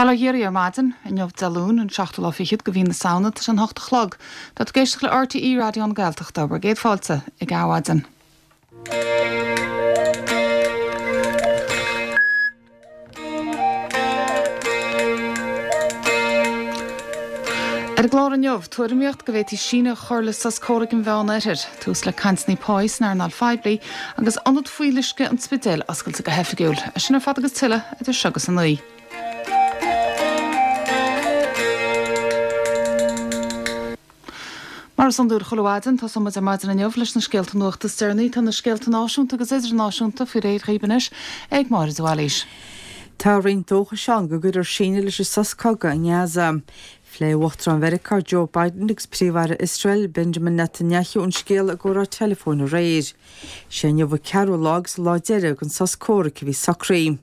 Bail ó Dhia oraibh ar maidin, inniu Dé Luain, an seachtú lá fichead de mhí na Samhna, tá sé an hocht a chlog. Tá tú ag éisteacht le RTÉ Raidió na Gaeltachta, bhur gcéad fáilte ag Adhmhaidin. Ar an gclár inniu, tuairimíocht go bhféadfaí síneadh a chur le sos comhraic an Mheánoirthir, tús le cainteanna páí san earnáil phoiblí agus ionad fuíolluisce an Spidéil oscailte go hoifigiúil. É sin ar fad agus tuilleadh idir seo agus a 9. Mar is iondúil chuile mhaidin, tosóidh muid ar maidin inniu leis na scéalta nuachta is deireanaí. Tá na scéalta náisiúnta agus idirnáisiúnta faoi réir dhaoibh anois ag Máire de Bhailís. Tá roinnt dóchais ann go gcuirfear síneadh leis an sos cogaidh i nGaza. Phléigh Uachtarán Mheiriceá Joe Biden agus Príomh-Aire Iosrael Benjamin Netanyahu an scéal i gcomhrá teileafóin aréir. Sé inniu an ceathrú lá agus an lá deiridh den sos comhraic a bhí socraithe.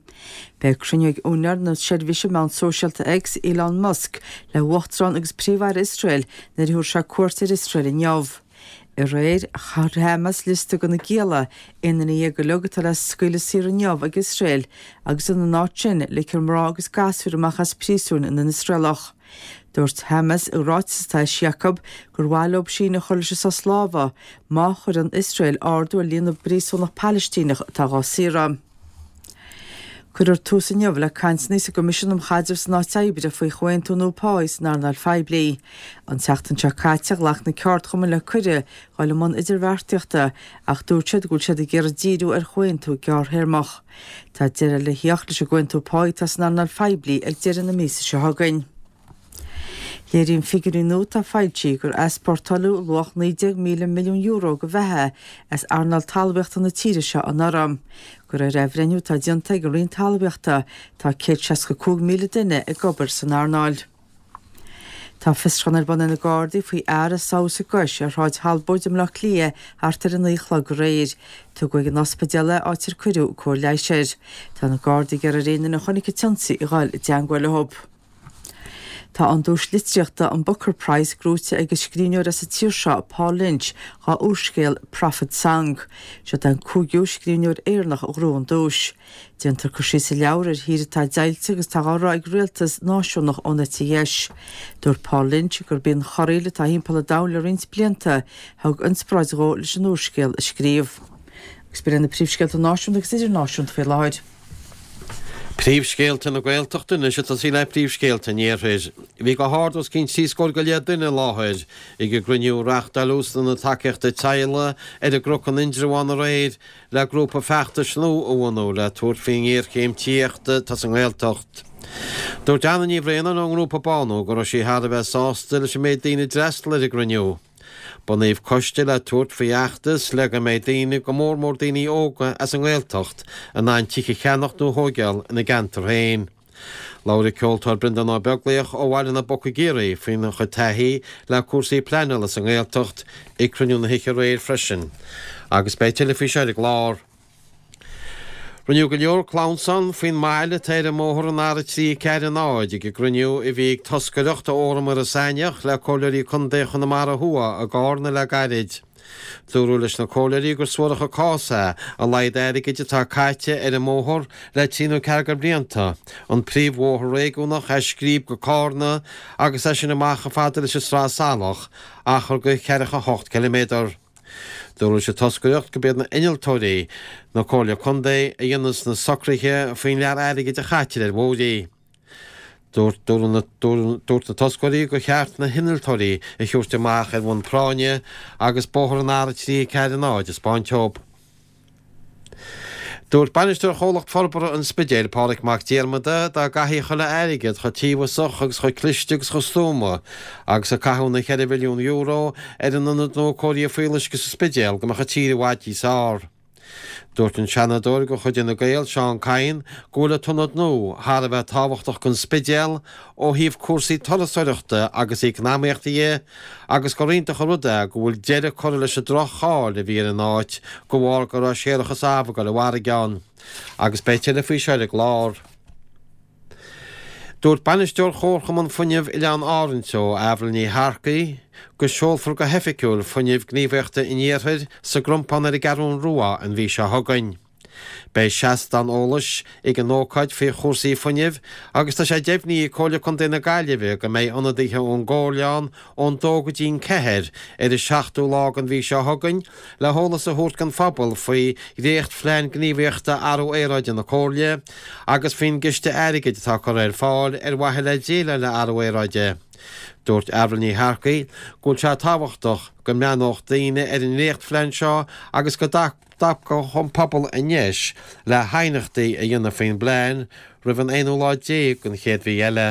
Beidh cruinniú ag úinéir na seirbhíse meán sóisialta X, Elon Musk, le hUachtarán agus Príomh-Aire Iosrael nuair a thabharfaidh sé cuairt ar Iosrael inniu. Aréir, chuir Hamas liosta de na gialla, 11 nduine uilig, atá le scaoileadh saor inniu ag Iosrael agus ina n-áit sin, ligfear mná agus gasúir amach as príosúin na nIosraelach. Dúirt Hamas i ráiteas atá eisithe acu gur mhaith leo síneadh a chur leis an sos lámhaigh má chuireann Iosrael ardú ar líon na bpríosúnach Palaistíneach atá dhá saoradh. Cuirfear tús inniu le cainteanna sa gCoimisiún um Chaidreamh san Áit Oibre faoi chomhaontú nua páí san earnáil phoiblí. An tseachtain seo caite ghlac na ceardchumainn le cuireadh dhul i mbun idirbheartaíochta ach dúirt siad go bhfuil siad ag iarraidh díriú ar chomhaontú gearrthéarmach. Tá deireadh le theacht leis an gcomhaontú páí atá san earnáil phoiblí ag deireadh na míosa seo chugainn. Léiríonn figiúirí nua atá foilsithe gur easpórtáladh luach €19,000 milliún de bheatha as earnáil talmhaíochta na tíre seo anuraidh. De réir athbhreithniú atá déanta ag an Roinn Talmhaíochta, tá 165,000 duine ag obair san earnáil. Tá fiosrúchán ar bun ag na Gardaí faoi fhear a sádh sa gcois ar Shráid Thalbóid i mBleá Cliath thart ar 9 a chlog aréir. Tugadh ag an ospidéal é, áit ar cuireadh cóir leighis air. Tá na Gardaí ag iarraidh ar aon duine a chonaic an t-ionsaí a dhul i dteangmháil leo. Tá an duais litríochta, an Booker Prize, gnóite ag an scríbhneoir as an tír seo, Paul Lynch, dhá úrscéal Prophet Song. Siod é an cúigiú scríbhneoir Éireannach a ghnóthaigh an duais. Déantar cur síos sa leabhar ar thír atá deighilte agus atá á rith ag rialtas náisiúnach ón eite dheis. Dúirt Paul Lynch gurb í an chorraíl atá thimpeall an domhain le roinnt blianta a thug inspioráid dhó leis an úrscéal a scríobh. Agus b'in iad na príomhscéalta náisiúnta agus idirnáisiúnta faoi láthair. Príomhscéalta na Gaeltachta anois ag tosaí le príomhscéalta an Iarthair. Bhí go hard os cionn trí scór go leith duine i láthair ag an gcruinniú a reáchtáileadh san Ionad Tacaíochta Teaghlaigh ar an gCnoc in Indreabhán aréir le grúpa feachtais nua a bhunú le tabhairt faoin ngéarchéim tithíochta atá sa nGaeltacht. Dúirt Anna Ní Bhraonáin ón ngrúpa Bánú go raibh sí thar a bheith sásta leis an méid daoine a d'fhreastail ar an gcruinniú. Bunaíodh coiste le tabhairt faoi fheachtas le go mbeidh daoine, go mór mór daoine óga as an nGaeltacht, in ann tithe a cheannacht nó a thóigeáil ina gceantar féin. Labhair an ceoltóir Breandán Ó Beaglaoich ó Bhaile na bPoc i gCiarraí faoina chuid taithí le cúrsaí pleanála sa nGaeltacht ag cruinniú na hoíche aréir freisin. Agus beidh tuilleadh faoi seo ar an gclár. Rinneadh go leor clamhsán faoin mbail atá ar an mbóthar an R3 4 0 ag an gcruinniú a bhí ag toscaireacht ó Fhóram Iorras Aithneach le Comhairleoirí Contae Chonamara Thuaidh i gCarna le gairid. Dúradh leis na comhairleoirí gur suarach an cás é a laghad airgid atá caite ar an mbóthar le trí nó ceathair de bhlianta, an príomhbhóthar réigiúnach as Scríb go Cárna agus as sin amach chomh fada leis an Sraith Salach, achar de cheathracha hocht ciliméadar. Dúradh leis an toscaireacht gurb iad na innealtóirí na Comhairle Contae a dhéanas na socruithe faoin lear airgid a chaitear ar bhóithrí. Dúirt na toscairí gur cheart na hinnealtóirí a thabhairt amach ar bhonn práinne agus bóthar an R3 4 0 a 'spáint dóibh. Dúirt bainisteoir Chomhlacht Forbartha an Spidéil, Pádraig Mac Diarmada, dá gcaithfí chuile airgead chomh tíobhasach agus chomh cliste agus chomh stuama agus a caitheadh na €4 mhilliún ar an ionad nua cóirithe fuíolluisce sa Spidéal go mbeadh an tír i bhfad níos fearr. Dúirt an Seanadóir de chuid Fhine Gael, Seán Kyne, go bhfuil an t-ionad nua thar a bheith tábhachtach don Spidéal ó thaobh cúrsaí turasóireachta agus eacnamaíochta dhe agus gur iontach an rud é go bhfuil deireadh curtha leis an droch-cháil a bhí ar an áit de bharr go raibh séarachas amh ag dul i bhfarraige ann. Agus beidh tuilleadh faoi seo ar an gclár. Dúirt Bainisteoir Chomharchumann Fuinnimh Oileáin Árann Teo, Avril Ní Shearcaigh, go seolfar go hoifigiúil Fuinneamh Gníomhaíochta an Iarthair sa gCrompán ar an gCeathrú Rua an mhí seo chugainn. Beidh seastán eolais ag an ócáid faoi chúrsaí fuinnimh agus tá sé deimhnithe ag Comhairle Contae na Gaillimhe go mbeidh ionadaithe ón gComhairle ann ón dó go dtí'n ceathair ar an seachtú lá den mhí seo chugainn le heolas a thabhairt don phobal faoi dhréacht-Phlean Gníomhaíochta Athrú Aeráide na Comhairle agus faoin gciste airgid atá curtha ar fáil ar mhaithe le déileáil le athrú aeráide. Dúirt Avril Ní Shearcaigh go bhfuil sé tábhachtach go mbreathnódh daoine ar an ndréacht-phlean seo agus go dtapódh an pobal an deis le haighneachtaí a dhéanamh faoin bplean roimh an aonú lá déag den chéad mhí eile.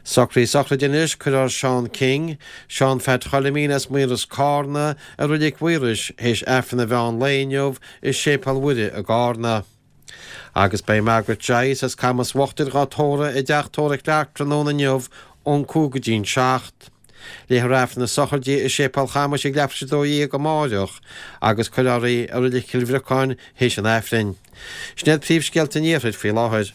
Socruithe sochraide anois, Cuirfear Seán King, Seán Pheait Choilimín as Maoras Cárna i Reilig Mhaorais théis Aifreann an mheán lae inniu i Séipéal Mhuire i gCárna. Agus beidh Margaret Joyce as Camas Uachtair dhá tórramh i dteach tórraimh Clarke tráthnóna inniu ón 5 go dtí'n 7. Léifear Aifreann na sochraide i Séipéal Chamais ag leathuair tar éis 12 amáireach agus cuirfear í i Reilig Chill Bhriocáin théis an Aifrinn. Sin iad príomhscéalta an Iarthair faoi láthair.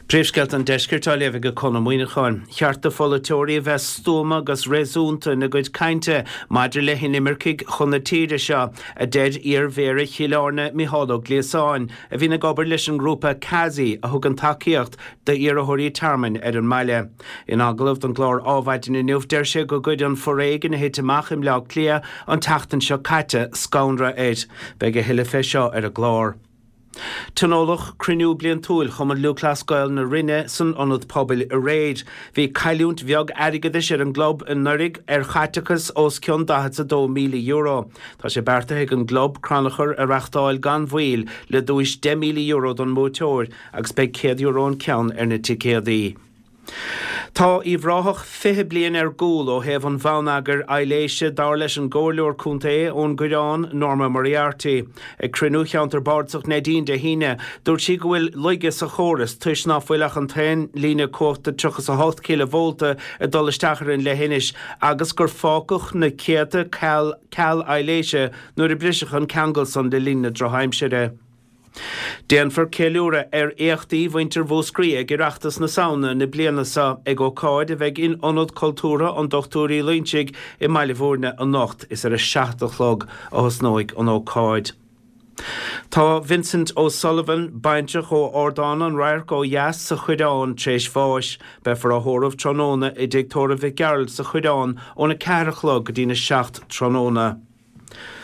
Príomhscéalta an Deiscirt á léamh ag Conn Ó Muíneacháin. Cheart do pholaiteoirí a bheith stuama agus réasúnta ina gcuid cainte maidir le hinimircigh chun na tíre seo, a deir iar-Mhéara Chill Airne Mícheál Ó Gliasáin, a bhíonn ag obair leis an ngrúpa CASI a thugann tacaíocht d'iarrthóirí tearmainn ar an mbaile. In agallamh don gclár Ádhmhaidin inniu, deir sé go gcuir an foréigean a thit amach i mBleá Cliath an tseachtain seo caite scanradh air. Beidh a thuilleadh fé seo ar an gclár. Tionóladh cruinniú bliantúil Chumann Lúthchleas Gael na Rinne san Ionad Pobail aréir. Bhí cailliúint bheag airgeadais ar an gclub anuraidh ar chaiteachas os cionn €42,000. Tá sé beartaithe ag an gclub crannchur a reachtáil gan mhoill le duais €10,000 don mbuaiteoir agus beidh €100 an ceann ar na ticéadaí. Tá Uíbh Ráthach 20 bliain ar gcúl ó thaobh an bhonneagair aibhléise, dar leis an gComhairleoir Contae ón gCoireán, Norma Moriarty. Ag cruinniú Cheantar Bardasach Neidín Dé hAoine, dúirt sí go bhfuil laige sa chóras toisc ná fuil ach an t-aon líne cumhachta 38 cileavólta ag dul isteach ar an leithinis agus gur fágadh na céadta ceall aibhléise nuair a briseadh an ceangal san le linn na drochaimsire. Déanfar ceiliúradh ar éachtaí mhuintir Mhúscraí ag Oireachtas na Samhna na bliana seo ag ócáid a bheidh in Ionad Cultúrtha an Dochtúir Uí Loingsigh i mBaile Bhúirne anocht. Is ar a 7 a chlog a thosnóidh an ócáid. Tá Vincent O'Sullivan, baintreach ó Ardán an Radhairc ó dheas sa Choireán, tar éis bháis. Beifear á thórramh tráthnóna i dTigh Tórraimh Mhic Gearailt sa Choireán óna 4 a chlog go dtína 7 tráthnóna.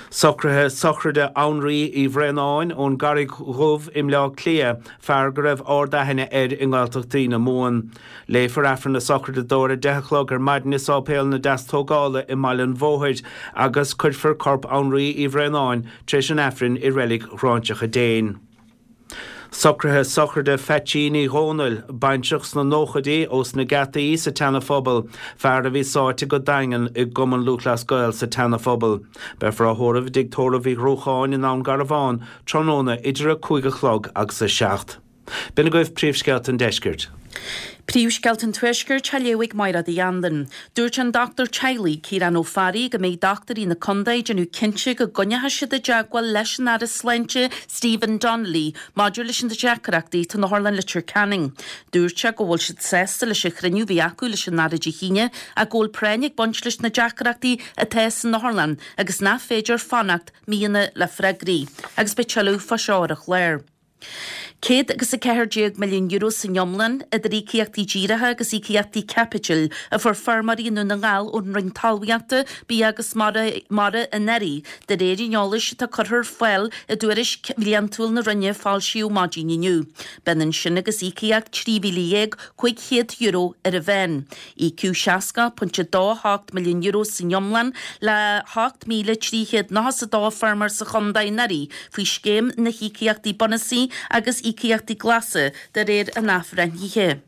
Socruithe sochraide Annraoi Uí Bhraonáin ón gCarraig Dhubh i mBleá Cliath, fear go raibh ard-aithne air i nGaeltachtaí na Mumhan. Léifear Aifreann na sochraide dó ar a 10 a chlog ar maidin i Sáipéal na Deastógála i mBaile an Bhóthair agus cuirfear corp Annraoi Uí Bhraonáin tar éis an Aifrinn i Reilig Ghráinseach an Déin. Socruithe sochraide Pheaitsín Uí Dhónaill, baintreach sna nóchaidí ós na Geataí sa tSeana Phobal, fear a bhí sáite go daingean i gCumann Lúthchleas Gael sa tSeana Phobal. Beifear á thórramh i dTigh Tórraimh Uí Ghruacháin i nDún Garbhán tráthnóna idir 5 a chlog agus 7. B'in agaibh príomhscéalta an deiscirt. Príomhscéalta an Tuaiscirt á léamh ag Máire Uí Anluain. Dúirt an dochtúir teaghlaigh, Ciarán Ó Fearraigh, go mbeidh dochtúirí na contae ag déanamh cinnte go gcoinneoidh siad i dteagmháil leis an Aire Sláinte, Stephen Donnelly, maidir leis na deacrachtaí atá in Otharlann Leitir Ceanainn. Dúirt sé go bhfuil siad sásta leis an chruinniú a bhí acu leis an Aire Dé hAoine ach go bhfuil práinn ag baint leis na deacrachtaí atá san otharlann agus nach féidir fanacht míonna le freagraí. Agus beidh tuilleadh fá seo ar an chlár. €114 milliún san iomlán, idir íocaíochtaí díreacha agus íocaíochtaí caipitil, a fuair feirmeoirí i nDún na nGall ón Roinn Talmhaíochta, Bia agus Mara anuraidh, de réir an eolais atá curtha ar fáil i dtuairisc bhliantúil na Roinne a foilsíodh maidin inniu. B'ionann sin agus íocaíocht €13,500 ar an mheán. Íocadh €60.28 milliún san iomlán le 8,392 feirmeoir sa chontae anuraidh faoi Scéim na hÍocaíochtaí Bunúsaí agus Íocaíochtaí Glasa, de réir an athbhreithnithe.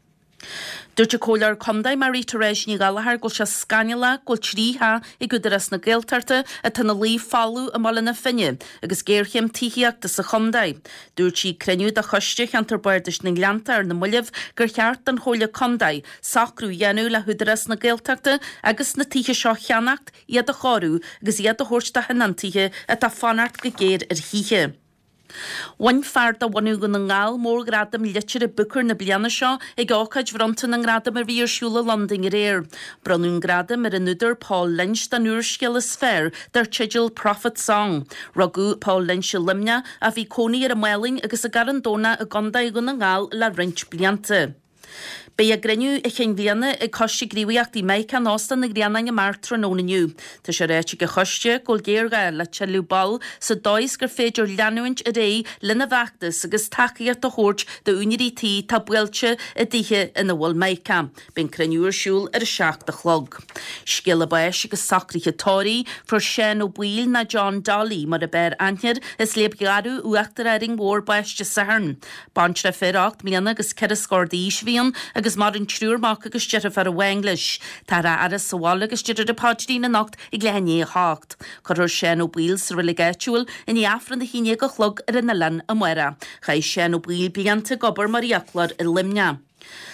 Dúirt an Comhairleoir Contae Marie Therese Ní Ghallchóir go bhfuil sé scannalach go bhfuil 3 theach ag Údarás na Gaeltachta atá ina luí folamh i mBaile na Finne agus géarchéim tithíochta sa chontae. Dúirt sí ag cruinniú de Choiste Cheantar Bardais na nGleannta ar na mallaibh gur cheart don Chomhairle Contae socrú a dhéanamh le hÚdarás na Gaeltachta agus na tithe seo a cheannacht, iad a chóiriú agus iad a thabhairt do thionóntaithe atá ag fanacht go géar ar thithe. Bhain fear de bhunadh Dhún na nGall mórghradam liteartha Booker na bliana seo ag ócáid bhronnta na ngradam a bhí ar siúl i Londain aréir. Bronnadh an gradam ar an údar Paul Lynch don úrscéal is fearr dar teideal Prophet Song. Rugadh Paul Lynch i Luimneach ach bhí cónaí air i Málainn agus i gCarn Domhnach i gContae Dhún na nGall le roinnt blianta. Beidh a gcruinniú chinn bhliana ag Coiste Gníomhaíochtaí Meic in Óstán an Ghrianáin amárach tráthnóna inniu. Tá sé ráite ag an choiste go bhfuil géarghá le tuilleadh ball sa dóigh is gur féidir leanúint ar aghaidh lena bhfeachtas agus tacaíocht a thabhairt d'úinéirí tí atá buailte i dtithe ina bhfuil Mica. Beidh an cruinniú ar siúl ar a 7 a chlog. Scéala báis agus socruithe tórraimh, fuair Seán Ó Baoill nó John Dolly mar a b'fhearr aithne air as Léab Gharbh Uachtar Árainn Mhór bás Dé Sathairn. Baintreach fir 8 mbliana agus 4 scór d'aois a bhí ann agus maireann triúr mac agus deirfiúr amháin leis. Táthar á fhaire sa bhaile agus déarfar an paidrín anocht ag leath i ndiaidh a hocht. Cuirfear Seán Ó Baoill sa reilig áitiúil i ndiaidh Aifreann 11 a chlog ar an oileán amárach. Chaith Seán Ó Baoill blianta ag obair mar fhiaclóir i Luimneach.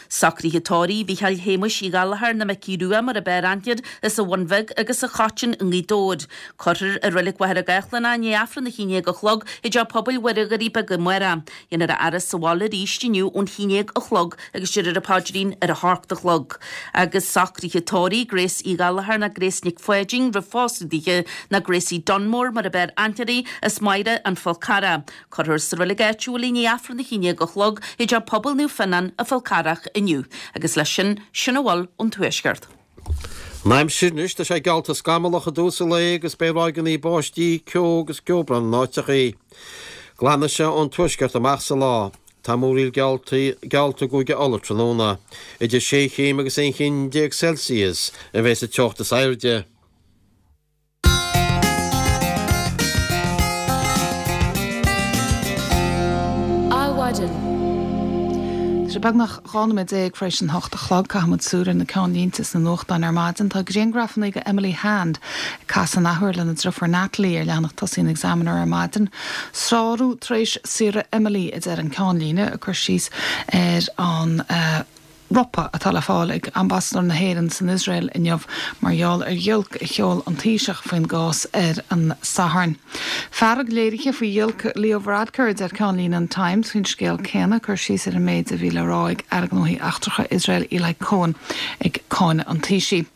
Socruithe tórraimh Mhícheáil Shéamuis Uí Ghallchóir nó Micí Rua mar a b'fhearr aithne air as an Bhun Bheag agus an Choitín i nGaoth Dobhair. Cuirfear i Reilig Mhachaire Gathlán é i ndiaidh Aifreann 11 a chlog i dTeach Pobail Mhuire Dhoirí Beaga amárach. Dhéanfar a fhaire sa bhaile arís inniu ón 11 a chlog agus déarfar an paidrín ar a hocht a chlog. Agus socruithe tórraimh Grace Uí Ghallchóir nó Grace Nic Pháidín roimh phósadh dithe nó Gracie Dunmore mar a b'fhearr aithne uirthi as Machaire an Fhál Carrach. Cuirfear sa reilig áitiúil í i ndiaidh Aifreann 11 a chlog i dTeach Pobail Naomh Fionnán, an Fál Carrach inniu. Agus leis sin, sin a bhfuil ón Tuaisceart. An aimsir anois, tá sé geallta scamallach i dtús an lae agus beidh ráigeanna báistí, ceo agus ceobhrán in áiteachaí. Glanfaidh sé ón tuaisceart amach sa lá. Tá múraíl geallta i gCúige Uladh tráthnóna. Idir sé chéim agus 11 chéim Celsius a bheidh sa teocht is airde. Adhmhaidin. Tá sé beagnach 12 nóiméad tar éis an hocht a chlog. Caithfidh muid súil ar na ceannlínte sna nuachtáin ar maidin. Tá grianghrafanna de Emily Hand ag casadh an athuair lena driofúr Natalie ar leathanach tosaigh an Examiner ar maidin. Sárú tar éis saoire Emily, a deir an ceannlíne, ag cur síos ar an. ropadh atá le fáil ag Ambasadóir na hÉireann san Iosrael inniu mar gheall ar ghiolc a sheol an Taoiseach faoin gcás ar an Satharn. Fearg léirithe faoi ghiolc Leo Varadkar, a deir ceannlíne an Times faoin scéal céanna, cur síos ar an méid a bhí le rá ag Aire Gnóthaí Eachtracha Iosrael Eli Cohen ag cáineadh an Taoisigh.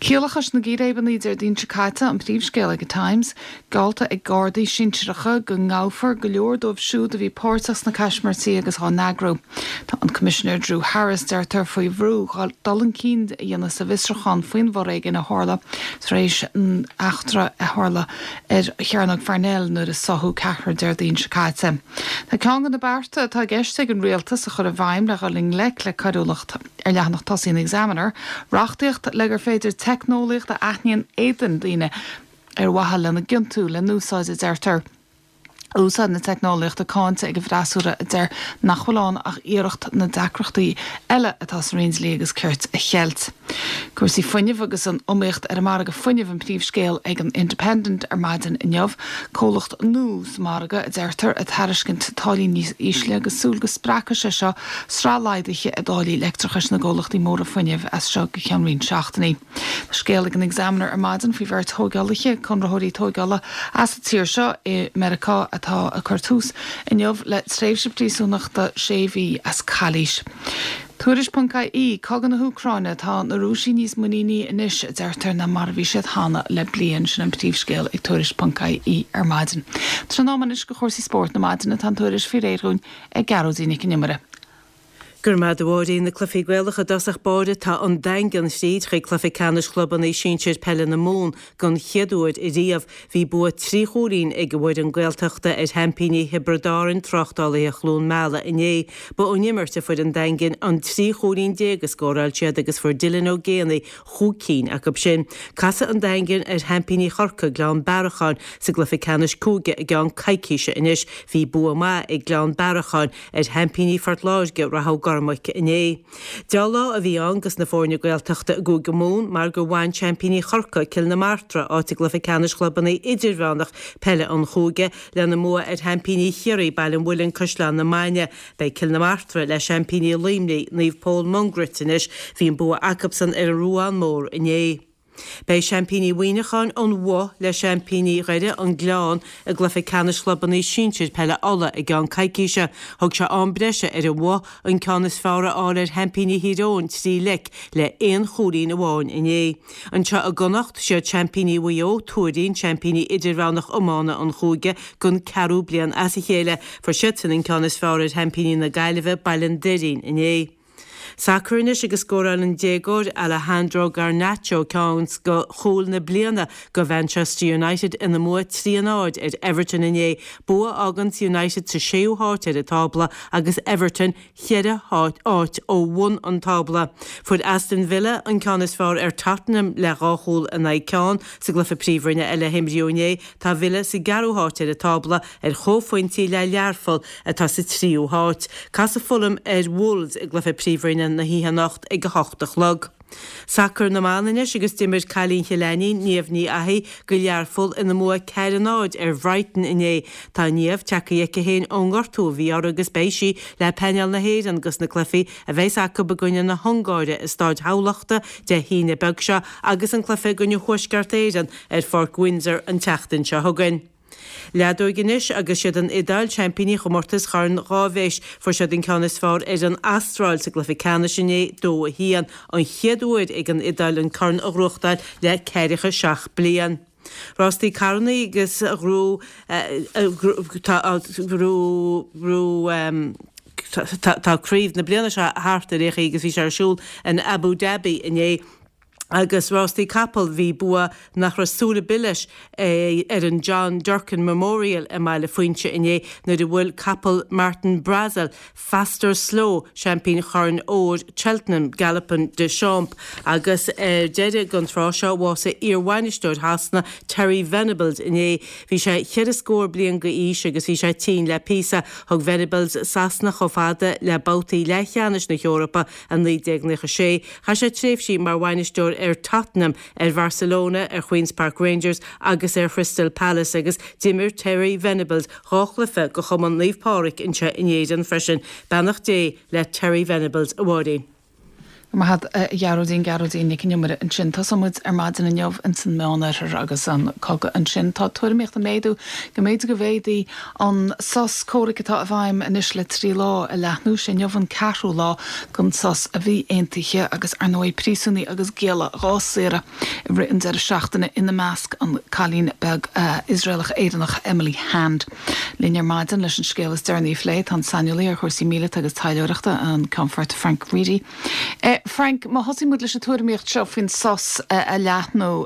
Ciallachais na gcíréibeanna Déardaoin seo caite an príomhscéal ag an Times. Geallta ag Gardaí sinsearacha go ngabhfar go leor dóibh siúd a bhí páirteach sna caismirtí agus á n-eagrú. Tá an Coimisinéir Drew Harris, deirtear, faoi bhrú dul chun cinn a dhéanamh sa bhfiosrúchán faoin bhforéigean a tharla tar éis an eachtra a tharla ar Chearnóg Pharnell nuair a sáthadh ceathrar Déardaoin seo caite. Tá ceann de na bearta atá i gceist ag an Rialtas a chur i bhfeidhm le dhul i ngleic le coiriúlacht ar leathanach tosaigh an Examiner, reachtaíocht le gur féidir teicneolaíocht a aithníonn éadain daoine ar mhaithe lena gciontú le n-úsáid, a deirtear. Úsáid na teicneolaíochta cáinte ag an bhfreasúra a deir nach bhfuil ann ach iarracht na deacrachtaí eile atá sa Roinn Dlí agus Cirt a cheilt. Cúrsaí fuinnimh agus an iomaíocht ar an margadh fuinnimh an príomhscéal ag an Independent ar maidin inniu. Comhlacht nua sa margadh, a deirtear, ag tairiscint táillí níos ísle agus súil go spreagfaidh sé seo sraith laghduithe i dtáillí leictreachais na gcomhlachtaí móra fuinnimh as seo go ceann roinnt seachtainí. Tá scéal ag an Examiner ar maidin faoi bheirt thóigeálaithe, conraitheoirí tóigeála as an tír seo i Meiriceá atá ag cur tús inniu le tréimhse príosúnachta sé mhí as calaois. Tuairisc.ie, Cogadh na hÚcráine, Tá na Rúisigh níos muiníní anois, a deirtear, ná mar a bhí siad cheana le bliain. Sin an príomhscéal ag Tuairisc.ie ar maidin. Tá sé in am anois do chúrsaí spóirt na maidine. Tá an tuairisc faoi réir dhúinn ag Gearóidín Nic an Iomaire. Go raibh maith agat a Mháirín. Na cluichí Gaelacha i dtosach báire, tá an Daingean fríd chuig cluiche ceannais chlubanna sinsir peile na Mumhan don chéad uair ariamh. Bhí bua trí chúilín ag an bhfoireann Gaeltachta ar sheaimpíní Thiobraid Árann, Tráchtálaithe Chluain Meala inné. Ba ón imirt a fuair an Daingean an 13 chúilín a scóráil siad agus fuair Dylan Ó Géibheannaigh chúig cinn acu sin. Casfaidh an Daingean ar sheaimpíní Chorcaí, Gleann Bearacháin, sa gcluiche ceannais cúige i gceann coicíse anois. Bhí bua maith ag Gleann Bearacháin ar sheaimpíní Phort Láirge, Rath Ó gCormaic, inné. Deá-lá a bhí ann dos na foirne Gaeltachta i gCúige Mumhan mar gur bhain seaimpíní Chorcaí, Cill na Martra, áit i gcluiche ceannais chlubanna idirmheánach peile an chúige lena mbua ar sheaimpíní Chiarraí, Baile an Mhuilinn, Caisleán na Mainge. Beidh Cill na Martra le seaimpíní Luimnigh, Naomh Pól Mungairit anois. Bhí an bua acubsan ar an Ruán Mór inné. Beidh seaimpíní Mhuineacháin, An Bhoth, le seaimpíní Dhoire, An Gleann, i gcluiche ceannais chlubanna sinsir peile Uladh i gceann coicíse. Thug sé am breise ar An Bhoth an ceann is fearr a fháil ar sheaimpíní Thír Eoghain 3 leic le aon chúilín amháin inné. Anseo i gConnacht, siad seaimpíní Mhaigh Eo, Tuairín, seaimpíní idirmheánach iomána an chúige don ceathrú bliain as a chéile. Fuair siadsan an ceann is fearr ar sheaimpíní na Gaillimhe, Baile an Doirín, inné. Sacar anois agus scóráil an déagóir Alejandro Garnacho ceann de chúil na bliana do Mhanchester United ina mbua 3 a 0 ar Everton inné, bua a fháganns United sa séú háit ar an tábla agus Everton cheithre háit ó bhun an tábla. Fuair Aston Villa an ceann is fearr ar Tottenham le dhá chúl in aghaidh ceann sa gcluiche Príomhroinne eile a himríodh inné. Tá Villa sa gceathrú háit ar an tábla ar chomhphointí le Learpholl atá sa tríú háit. Casfaidh Fulham ar Wolves i gcluiche Príomhroinne na hoíche anocht ag 8 a chlog. Sacar na mban anois agus d'imir cailín Chill Ainnín, Niamh Ní Fhathaigh, do Learpholl ina mbua 4 0 ar Bhrighton inné. Tá Niamh tagtha aici féin ón ngortú a bhí uirthi agus beidh sí le painéal na hÉireann dos na cluichí a bheas acu i gcoinne na hUngáire i Stáid Thamhlachta Dé hAoine beag seo agus an cluiche i gcoinne Thuaisceart Éireann ar Pháirc Windsor an tseachtain seo chugainn. Leadóig anois agus siad an Iodáil seaimpíní chomórtas Chorn Dháibhéis. Fuair siad an ceann is fearr ar an Astráil sa gcluiche ceannais inné, 2, 1, an chéad uair ag an Iodáil an corn a ghnóthachtáil le ceathracha seacht bliain. Rástaí carrannaí agus ghnóthaigh tá craobh na bliana seo thart ar aon chaoi agus bhí sé ar siúl in Abu Dhabi inné. Agus rástaí capall, bhí bua nach raibh súil ar bith leis ar an John Durkan Memorial i mBaile Phuinse inné nuair a bhuail capall Martin Brassil, Fastorslow, seaimpín Chorn Óir Cheltenham, Galopin Des Champs. Agus ar deireadh don tráth seo, bhásaigh iar-bhainisteoir Shasana, Terry Venables inné. Bhí sé cheithre scór bliain d'aois agus bhí sé tinn le píosa. Thug Venables Sasana chomh fada le babhtaí leathcheannais na hEorpa i 1996. Chaith sé tréimhsí mar bhainisteoir ar Tottenham, ar Bharcelona, ar Queens Park Rangers agus ar Chrystal Palace agus d'imir Terry Venables dha chluiche do Chumann Naomh Pádraig anseo in Éirinn freisin. Beannacht Dé le Terry Venables, a Mháirín. Go raibh maith agat, a Ghearóidín, Gearóidín Nic an Iomaire ansin. Tosóidh muid ar maidin inniu ins an Meánoirthear agus an cogadh ansin. Tá tuairimíocht ag méadú go mb'fhéidir go bhféadfaí an sos comhraic atá i bhfeidhm anois le 3 lá a leathnú. Sé inniu an ceathrú lá den sos a bhí aontaithe agus ar ndóigh príosúnaigh agus gialla dhá saoradh i rith an deireadh seachtaine, ina measc an cailín beag Iosraelach-Éireannach Emily Hand. Linn ar maidin leis an scéal is deireanaí a phlé tá an saineolaí ar chúrsaí míleata agus taidhleoireachta, an Ceannfort Frank Reidy. Frank, má thosaíonn muid leis an tuairimíocht seo faoin sos a leathnú,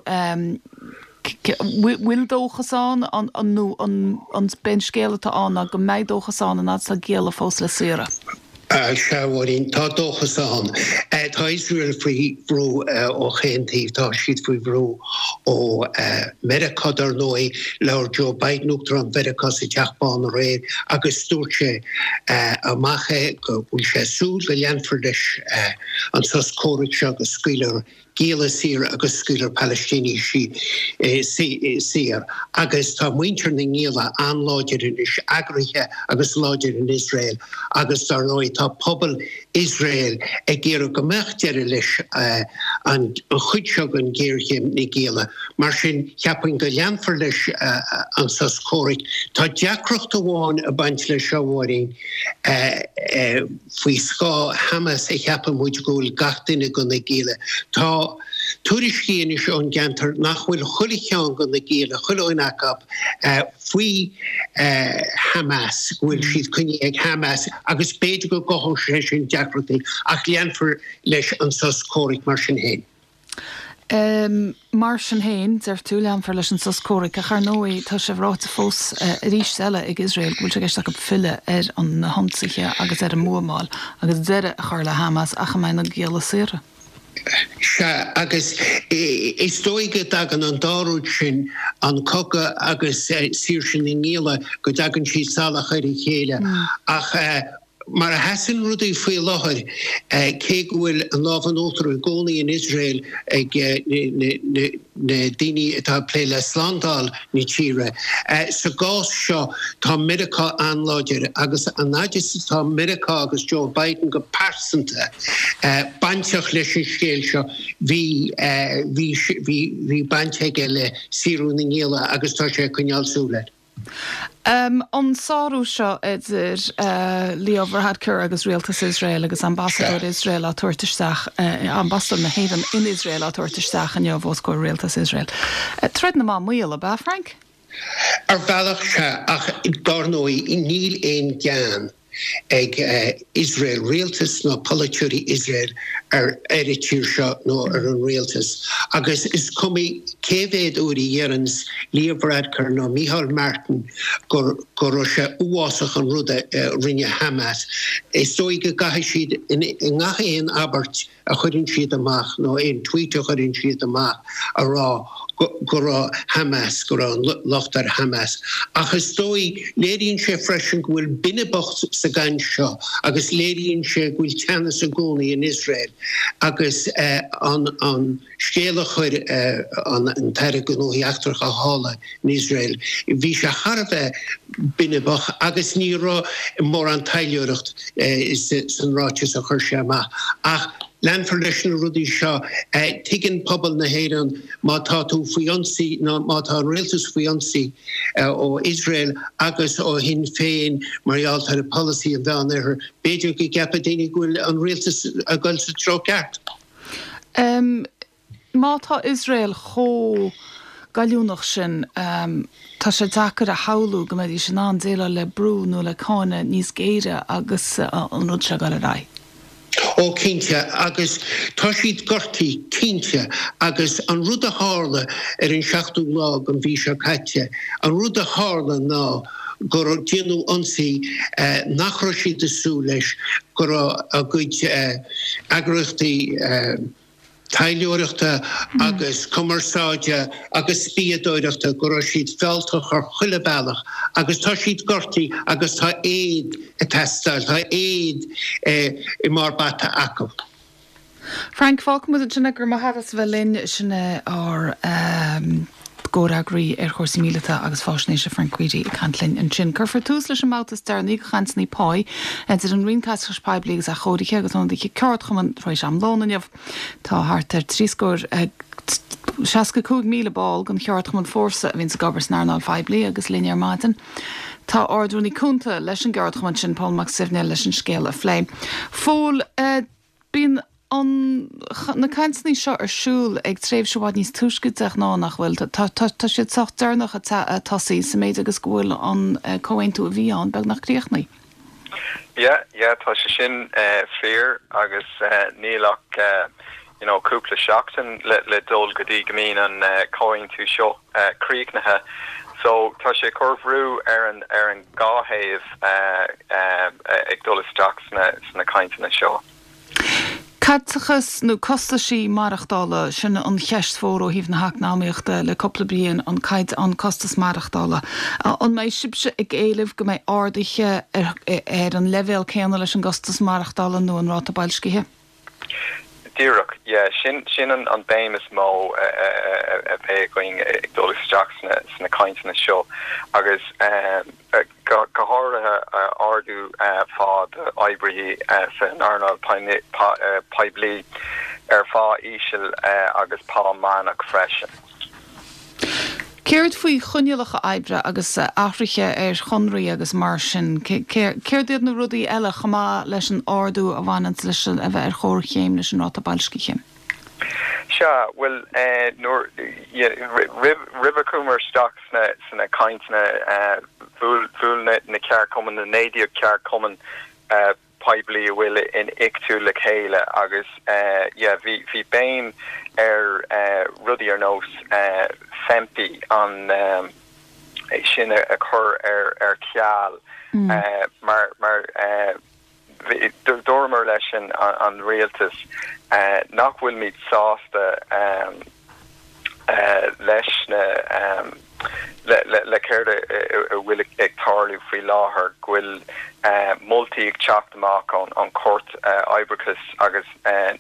bhfuil dóchas ann nó an b'é an scéal atá ann ná go mbeidh dóchas ann an fhad is atá gialla fós le saoradh? Sea, a Mháirín, tá dóchas ann. Tá Iosrael faoi bhrú ó chaon taobh. Tá siad faoi bhrú ó Meiriceá, dar ndóigh. Labhair Joe Biden, Uachtarán Mheiriceá, sa Teach Bán aréir agus dúirt sé amach é go bhfuil sé ag súil go leanfar leis an sos comhraic seo go scaoilfear gialla saor agus scaoilfear Palaistínigh saor agus tá muintir na ngialla an-láidir anois, eagraithe agus láidir in Iosrael agus dar ndóigh tá pobal Iosrael ag iarraidh go mbeadh deireadh leis an chuid seo den ghéarchéim, na gialla. Mar sin, cheapfainn go leanfar leis an sos comhraic. Tá deacracht amháin ag baint leis seo, a Mháirín. Faoi scáth Hamas a cheapann muid go bhfuil gach duine de na gialla. Tá tuairiscí anois ón gceantar nach bhfuil chuile cheann de na gialla, chuile dhuine acu, faoi Hamas, go bhfuil siad coinnithe ag Hamas agus b'fhéidir go gcothódh sé sin deacrachtaí ach leanfar leis an sos comhraic mar sin féin. Mar sin féin, deir tú, leanfar leis an sos comhraic, ach ar ndóigh tá sé ráite fós arís eile ag Iosrael go bhfuil sé i gceist acu filleadh ar na hionsaithe agus ar an mbuamáil agus deireadh a chur le Hamas ach a mbeidh na gialla saortha. Sea, agus is dóigh go dtagann an dá rud sin, an cogadh agus saoirse na ngialla, go dtagann siad salach ar a chéile. Ach Mar a sheasann rudaí faoi láthair, cé go bhfuil an lámh in uachtar i gcónaí in Iosrael ag na daoine atá ag plé le slándáil na tíre, sa gcás seo tá Meiriceá an-láidir agus an fhad is atá Meiriceá agus Joe Biden go pearsanta. bainteach leis an scéal seo, bhí, bhí, bhí, bhí baint aige le saoradh na ngialla agus tá sé ag coinneáil súil air. An sárú seo idir Leo Varadkar agus Rialtas Iosrael agus Ambasadóir Iosrael á tabhairt isteach, Ambasadóir na hÉireann in Iosrael á tabhairt isteach inniu os comhair Rialtas Iosrael. Troid na mban maol, ab ea, Frank? Ar bhealach, sea, ach dár ndóigh níl aon gean ag Iosrael, rialtas ná polaiteoirí Iosrael ar ar an tír seo nó ar an rialtas. Agus is cuma cé mhéad uair a dheireanns Leo Varadkar nó Micheál Martin go go raibh sé uafásach an rud a rinne Hamas, is dóigh go gcaithfidh siad i ngach aon abairt a chuireann siad amach nó aon tweet a chuireann siad amach a rá go raibh Hamas, go raibh an locht ar Hamas. Ach is dóigh, léiríonn sé freisin go bhfuil binibeacht sa gcaint seo agus léiríonn sé go bhfuil teannas i gcónaí in Iosrael agus an an scéal a chuir an tAire Gnóthaí Eachtracha thall in Iosrael, bhí sé thar a bheith binibeach agus ní raibh mórán taidhleoireacht san ráiteas a chuir sé amach. Ach leanfar leis na rudaí seo. Tuigeann pobal na hÉireann má tá tú faoi ionsaí nó má tá an rialtas faoi ionsaí ó Iosrael agus ó Shinn Féin mar gheall ar pholasaí an Mheánoirthir, b'fhéidir go gceapfaidh daoine go bhfuil an rialtas ag dul sa treo ceart. Má tá Iosrael chomh goilliúnach sin, tá sé deacair a shamhlú go mbeidís in ann déileáil le brú nó le cáineadh níos géire agus an rud seo ag dul ar aghaidh. Ó cinnte, agus tá siad gortaithe, cinnte, agus an rud a tharla ar an seachtú lá den mhí seo caite, an rud a tharla ná gur déanadh ionsaí nach raibh siad ag súil leis, go raibh a gcuid eagraíochtaí, taidhleoireachta agus cumarsáide agus spiadóireachta, go raibh siad fealltach ar chuile bhealach agus tá siad gortaithe agus tá éad ag teastáil, tá éad i mbarr bata acu. Frank, fágfaidh muid ansin é, go raibh maith agat as a bheith linn, sin é ár gcomhfhreagraí ar chúrsaí míleata agus faisnéise Frank Reidy ag caint linn ansin. Cuirfear tús leis an mbabhta is deireanaí de chainteanna pá idir an Roinn Caiteachais Poiblí agus Athchóirithe agus ionadaithe ceardchumann tar éis am lóin inniu. Tá thart ar thrí scór, 65,000 ball den cheardchumann Fórsa a bhíonns ag obair san earnáil phoiblí agus linn ar maidin tá Ard-Rúnaí Cúnta leis an gceardchumann sin, Pól Mac Suibhne leis an scéal a phlé. Phóil, Bíonn an, na cainteanna seo ar siúl ag tréimhse i bhfad níos túisce de ghnáth, nach bhfuil? Tá, tá, tá siad sách deireanach ag tosaí, sa méid agus go bhfuil an comhaontú a bhí ann beagnach críochnaithe. Yeah, yeah, tá sé sin fíor agus níl ach you know cúpla seachtain le, le dul go dtí go mbíonn an comhaontú seo críochnaithe. So tá sé ag cur bhrú ar an, ar an dhá thaobh ag dul isteach sna, sna cainteanna seo. Caiteachas nó costaisí maireachtála, sin an cheist mhór ó thaobh na heacnamaíochta le cúpla bliain, an caighdeán, an costas maireachtála. An mbeidh sibhse ag éileamh go mbeidh arduithe ar ar an leibhéal céanna leis an gcostas maireachtála nó an ráta boilscithe? Díreach, yeah, sin sin an an béim is mó a bheidh againn ag dul isteach sna sna cainteanna seo agus go háirithe ardú phá d'oibrithe san earnáil poiblí ar phá íseal agus pá meánach freisin. Céard faoi choinníollacha oibre agus athruithe ar chonraí agus mar sin? Céard iad na rudaí eile chomh maith leis an ardú a bhaineanns leis a bheith ar chomhchéim leis an ráta boilscithe? Sea, bhuel, nuair, roimh a chuamar isteach sna cainteanna, bhuail na ceardchumainn, na 19 ceardchumann poiblí a bhfuil in Ictu le chéile agus yeah, bhí, bhí béim ar rudaí ar nós FEMPI, an, é sin a chur ar ceal mar, mar, Dúramar leis an rialtas nach bhfuilimid sásta leis na. Le céard a bhfuil ag tarlú faoi láthair, go bhfuil moltaí ag teacht amach ón Chúirt Oibreachais agus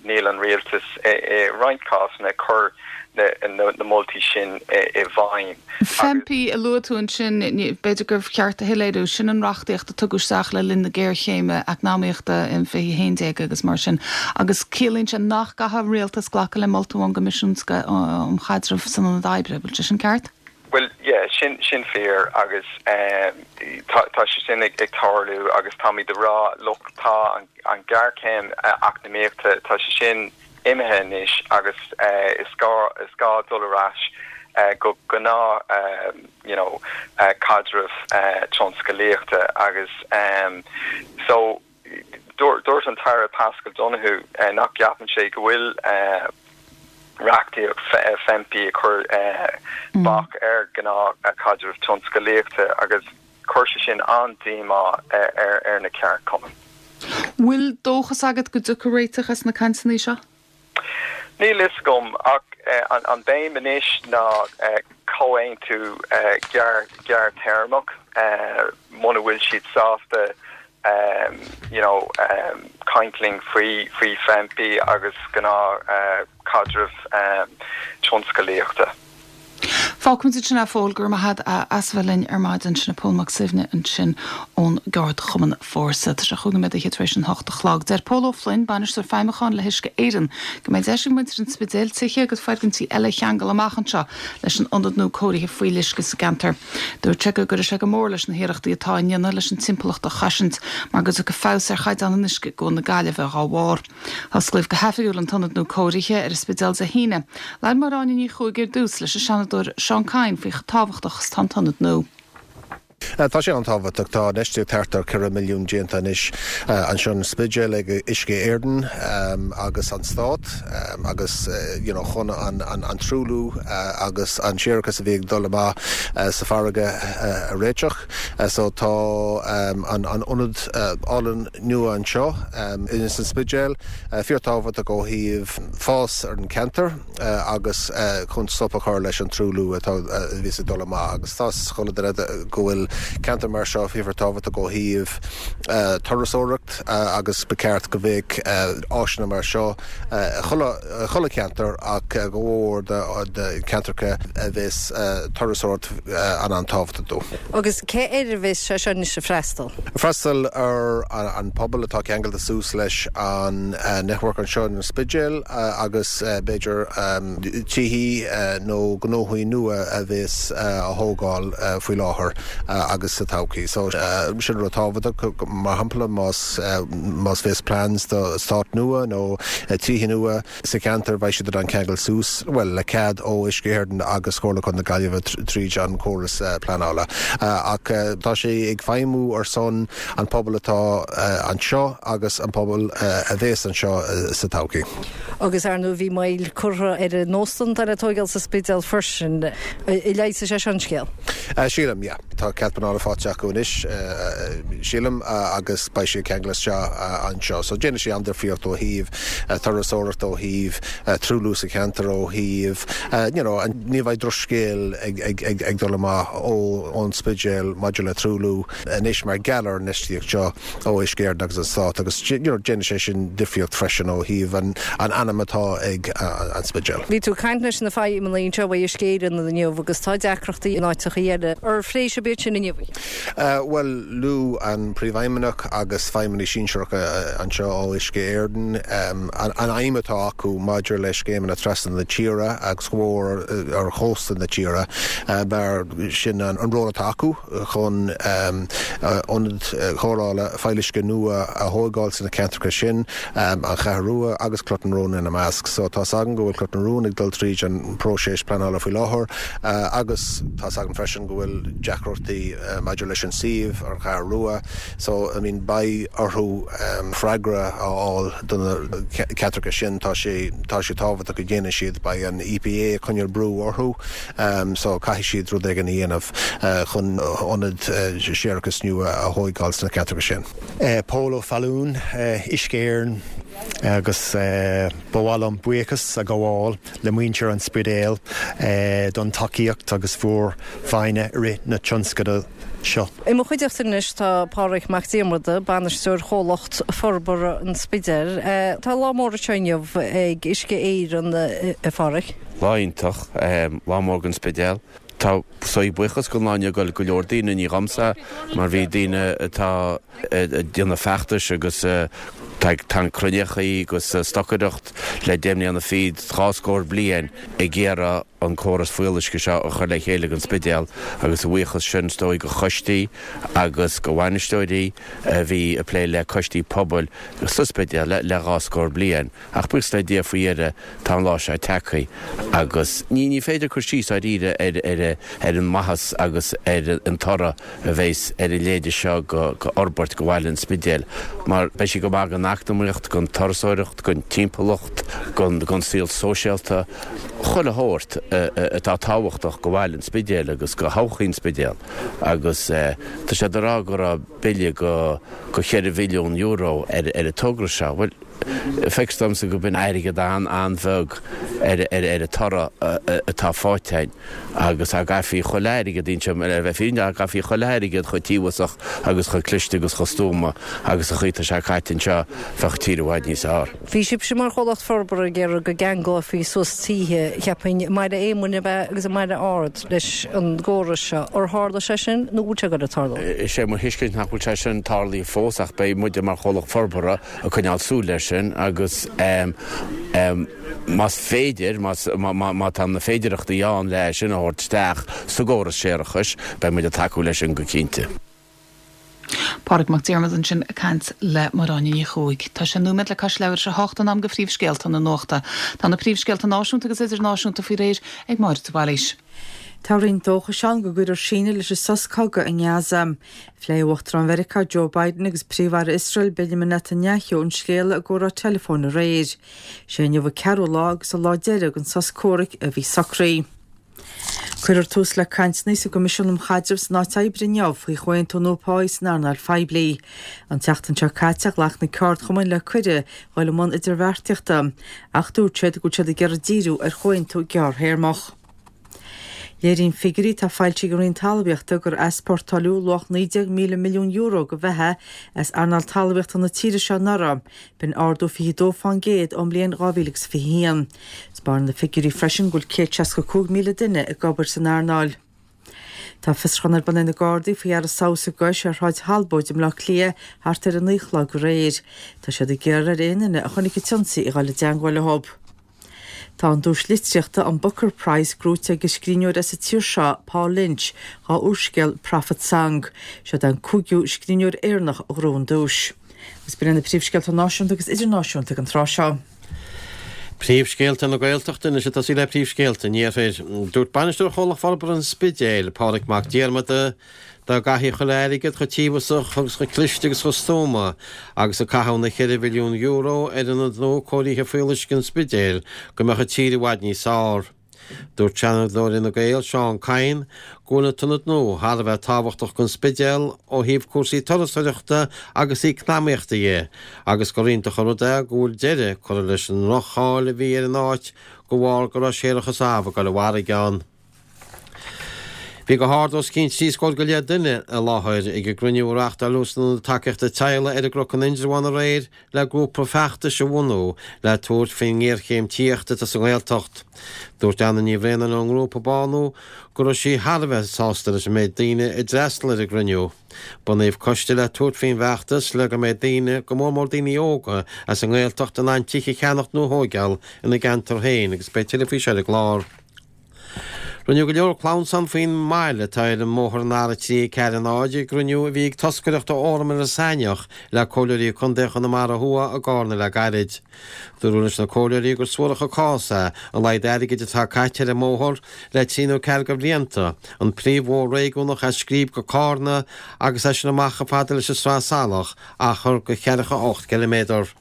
níl an rialtas i roinnt cásanna ag cur na moltaí sin i bhfeidhm. FEMPI a luaigh tú ansin, b'fhéidir gur cheart a shoiléiriú, sin an reachtaíocht a tugadh isteach le linn na géarchéime eacnamaíochta in 2011 agus mar sin, agus ciallaíonn sé nach gcaithfidh an rialtas glacadh le moltaí ón gCoimisiún um Chaidreamh san Ionad Oibre. Bhfuil sé sin ceart? Bhuel, yeah, sin, sin fíor agus tá, tá sé sin ag, ag tarlú agus táimid ag rá, look, tá an, an ghéarchéim eacnamaíochta, tá sé sin imithe anois agus is gá, is gá dul ar ais go gnáth, you know, caidreamh tionscalaíochta agus so, Dúirt an tAire Paschal Donohoe nach gceapann sé go bhfuil reachtaíocht FEMPI ag cur bac ar ghnáthchaidreamh tionscalaíochta agus chuir sé sin an-díomá ar na ceardchumainn. Bhfuil dóchas agat go dtiocfaidh réiteach as na cainteanna seo? Níl fhios agam, ach an béim anois ná comhaontú gearrthéarmach muna bhfuil siad sásta you know caint linn faoi faoi FEMPI agus gnáth chaidreamh tionscalaíochta. Fágfaimid ansin é a Phóil, go raibh maith agat as a bheith linn ar maidin. Sin é Pól Mac Suibhne ansin ón gceardchumann Fórsa. Tá sé chúig nóiméad fhichead tar éis an hocht a chlog. Deir Pól Ó Floinn, Bainisteoir Feidhmiúcháin le hUisce Éireann, go mbeidh deis ag muintir an Spidéil tithe agus foirgintí eile a cheangal amach anseo leis an ionad nua cóirithe fuíolluisce sa gceantar. Dúirt sé go gcuirfidh sé go mór leis na hiarrachtaí atá á ndéanamh leis an timpeallacht a chosaint mar go dtiocfaidh feabhas ar chaighdeán an uisce i gCuan na Gaillimhe dhá bharr. Osclaíodh go hoifigiúil an t-ionad nua cóirithe ar an Spidéal Dé hAoine. Labhair Máire Áine Ní Chuaig ar dtús leis an Seanadóir Seán Kyne faoi chomh tábhachtach is atá an t-ionad nua. Tá sé an-tábhachtach. Tá infheistíocht thart ar 4 milliún déanta anois anseo an Spidéal ag Uisce Éireann agus an Stát agus you know chun an an truailliú agus an séarachas a bhí ag dul amach sa farraige a réiteach. So tá an an ionad álainn nua anseo ins an Spidéal fíorthábhachtach ó thaobh fás ar an cheantar agus chun stop a chur leis an truailliú atá a bhíos ag dul amach agus tá 's chuile duine go bhfuil ceantar mar seo fíorthábhachtach ó thaobh turasóireacht agus ba cheart go mbeadh áiseanna mar seo i chuile cheantar ach go mhór do cheantracha a bheas turasóireacht an-an-tábhachtach dó. Agus cé air a bheas sé seo anois ag freastal? Freastal ar an pobal atá ceangailte suas leis an network anseo in Spidéal agus b'fhéidir tithí nó gnóthaí nua a bheas á thógáil faoi láthair agus sa todhchaí. So sin rud tábhachtach, mar shampla más más bheas plans do eastát nua nó tithe nua, Sa cheantar, beidh siad in ann ceangal suas, bhuel, le cead ó Uisce Éireann agus Comhairle Contae na Gaillimhe tríd an chóras pleanála. Ach tá sé ag feidhmiú ar son an pobal atá anseo agus an pobal a bhéas anseo sa todhchaí. Agus ar ndóigh bhí moill curtha ar an óstán atá le tóigeáil sa Spidéal freisin. An leigheasfaidh sé seo an scéal? Sílim, yeah. Tá cead pleanála faighte acu anois, sílim, agus beidh sé ag ceangal isteach anseo. So déanfaidh sé an-difríocht ó thaobh turasóireacht, ó thaobh truailliú sa cheantar, ó thaobh, you know, ní bheidh drochscéal ag dul amach ón Spidéal maidir le truailliú anois mar gheall ar an infheistíocht seo ó Uisce Éireann agus an Stát agus, you know, déanfaidh sé sin difríocht freisin ó thaobh an ainm atá ag an Spidéal. Bhí tú ag caint leis na feidhmeannaigh anseo ó Uisce Éireann inniu agus tá deacrachtaí in áiteacha eile. Ar phléigh sibh iad sin inniu? Bhuel, luaigh an Príomhfheidhmeannach agus feidhmeannaigh sinsearacha anseo ó Uisce Éireann an aidhm atá acu maidir le scéimeanna trasna na tíre agus go mór ar chósta na tíre mar sin an ról atá acu chun ionaid chóireála fuíolluisce nua a thóigeáil sna ceantracha sin, an Cheathrú Rua agus Cloch na Rón ina measc. So tá's againn go bhfuil Cloch na Rón ag dul tríd an próiseas pleanála faoi láthair agus tá's againn freisin go bhfuil deacrachtaí maidir leis an suíomh ar an Cheathrú Rua so I mean beidh orthu freagra a fháil do na ceantracha sin. Tá sé tá sé tábhachtach go ndéanann siad, beidh an EPA ag coinneáil brú orthu so caithfidh siad rud éigin a dhéanamh chun ionad séarachais nua a thóigeáil sna ceantracha sin. Pól Ó Fallúin, Uisce Éireann. Agus ba mhaith liom buíochas a ghabháil le muintir an Spidéil don tacaíocht agus bhur bhfoighne i rith na tionscadail seo. I mo chuideachta anois tá Pádraig Mac Diarmada, Bainisteoir Chomhlacht Forbartha an Spidéil. Tá lá mór anseo inniu ag Uisce Éireann, a Phádraig. Lá iontach, lá mór don Spidéal. Tá is dóigh buíochas don lá inniu ag dul go leor daoine, ní dhomsa, mar bhí daoine atá ag déanamh feachtais agus tá ag cruinneachaí agus stocaireacht le deich mbliana fichead, 2 scór bliain ag iarraidh an córas fuíolluisce seo a chur le chéile don Spidéal agus a bhuíochas sin is dóigh do choistí agus do bhainisteoirí a bhí ag plé le coistí pobail sa Spidéal le 2 scór bliain. Ach buíochas le Dia faoi dheireadh tá an lá seo tagtha agus ní ní féidir cur síos dáiríre ar ar ar an maitheas agus ar an toradh a bheas ar an leithéide seo go fhorbairt go bhaile an Spidéil mar beidh sé go maith don eacnamaíocht, don turasóireacht, don timpeallacht, don don saol sóisialta, chuile shórt atá tábhachtach go bhaile an Spidéil agus go thodhchaí an Spidéil agus tá siad ag rá go raibh bille go go €4 bhilliún ar ar an togra seo. Bhuel, Feictear domsa go b'in airgead an-an-bheag ar ar an toradh atá faighte againn agus dá gcaithfí chuile airgead, inseoidh mé le bheith fírinneach, dá gcaithfí chuile airgead chomh tíobhasach agus chomh cliste agus chomh stuama agus an chaoi atá sé caite anseo, bheadh an tír i bhfad níos fearr. Bhí sibhse mar chomhlacht forbartha ag iarraidh go gceanglófaí suas tithe, cheapfainn, i mBaile Éamoinn ab ea agus i mBaile Ard leis an gcóras seo. Ar tharla sé sin nó bhfuil sé ag dul ag tarlú? Is é mo thuiscint nach bhfuil sé sin tarlaithe fós ach beidh muide mar chomhlacht forbartha ag coinneáil súil air sin agus más féidir, má tá na féidireachtaí ann le sin a thabhairt isteach sa gcóras séarachais, beidh muid ag tacú leis sin go cinnte. Pádraig Mac Diarmada ansin ag caint le Máire Áine Ní Chuaig. Tá sé nóiméad le cois leathuair tar éis a 8 in am do phríomhscéalta na nuachta. Tá na príomhscéalta náisiúnta agus idirnáisiúnta faoi réir ag Máire de Bhailís. Tá roinnt dóchais ann go gcuirfear síneadh leis an sos cogaidh i nGaza. Phléigh Uachtarán Mheiriceá Joe Biden agus Príomh-Aire Iosrael Benjamin Netanyahu an scéal i gcomhrá teileafóin aréir. Sé inniu an ceathrú lá agus an lá deiridh den sos comhraic a bhí socraithe. Cuirfear tús le cainteanna sa gCoimisiún um Chaidreamh san Áit Oibre inniu faoi chomhaontú nua páí san earnáil phoiblí. An tseachtain seo caite ghlac na ceardchumainn le cuireadh dhul i mbun idirbheartaíochta ach dúirt siad go bhfuil siad ag iarraidh díriú ar chomhaontú gearrthéarmach. Léiríonn figiúirí atá foilsithe ag an Roinn Talmhaíochta gur easpórtáileadh luach €19,000 milliún de bheatha as earnáil talmhaíochta na tíre seo anuraidh, b'in ardú 22% ón mbliain 2021. Spáineann na figiúirí freisin go bhfuil 165,000 duine ag obair san earnáil. Tá fiosrúchán ar bun ag na Gardaí faoi fhear a sabhadh sa gcois ar Shráid Thalbóid i mBleá Cliath thart ar a 9 a chlog aréir. Tá siad ag iarraidh ar aon duine a chonaic an t-ionsaí a dhul i dteangmháil leo. Tá an duais litríochta, an Booker Prize, gnóite ag an scríbhneoir as an tír seo, Paul Lynch, dhá úrscéal Prophet Song. Seod é an cúigiú scríbhneoir Éireannach a ghnóthaigh an duais. Agus b'in iad na príomhscéalta náisiúnta agus idirnáisiúnta ag an tráth seo. Príomhscéalta na Gaeltachta anois ag tosaí le príomhscéalta an Iarthair. Dúirt Bainisteoir Chomhlacht Forbartha an Spidéil, Pádraig Mac Diarmada, Dá gcaithfí chuile airgead chomh tíobhasach agus chomh cliste agus chomh stuama agus a caitheadh na €4 bhilliún ar ionad nua cóirithe fuíolluisce an Spidéil go mbeadh an tír i bhfad níos fearr. Dúirt Seanadóir Fhine Gael, Seán Kyne, go bhfuil an t-ionad nua thar a bheith tábhachtach don Spidéal ó thaobh cúrsaí turasóireachta agus eacnamaíochta dhe agus gur iontach an rud é go bhfuil deireadh curtha leis an ndroch-cháil a bhí ar an áit de bharr go raibh séarachas amh ag dul i bhfarraige ann. Bhí go hard os cionn 30 scór go leith duine i láthair ag an gcruinniú a reáchtáileadh san Ionad Tacaíochta Teaghlaigh ar an gCnoc in Indreabhán aréir le grúpa feachtais a bhunú le tabhairt faoin ngéarchéim tithíochta atá sa nGaeltacht. Dúirt Anna Ní Bhraonáin ón ngrúpa Bánú go raibh sí thar a bheith sásta leis an méid daoine a d'fhreastail ar an gcruinniú. Bunaíodh coiste le tabhairt faoin bhfeachtas le go mbeidh daoine, go mór mór daoine óga, as an nGaeltacht in ann tithe a cheannacht nó a thóigeáil ina gceantar féin agus beidh tuilleadh faoi seo ar an gclár. Rinneadh go leor clamhsán faoin mbail atá ar an mbóthar an R340 ag gcruinniú a bhí ag toscaireacht ó Fhóram Iorras Aithneach le Comhairleoirí Contae Chonamara Thuaidh i gCárna le gairid. Dúradh leis na Comhairleoirí gur suarach an cás é an laghad airgid atá caite ar an mbóthar le trí nó ceathair de bhlianta, an príomhbhóthar réigiúnach as Scríb go Cárna agus as sin amach chomh fada leis an Sraith Salach, achar de cheathracha 8 gciliméadar.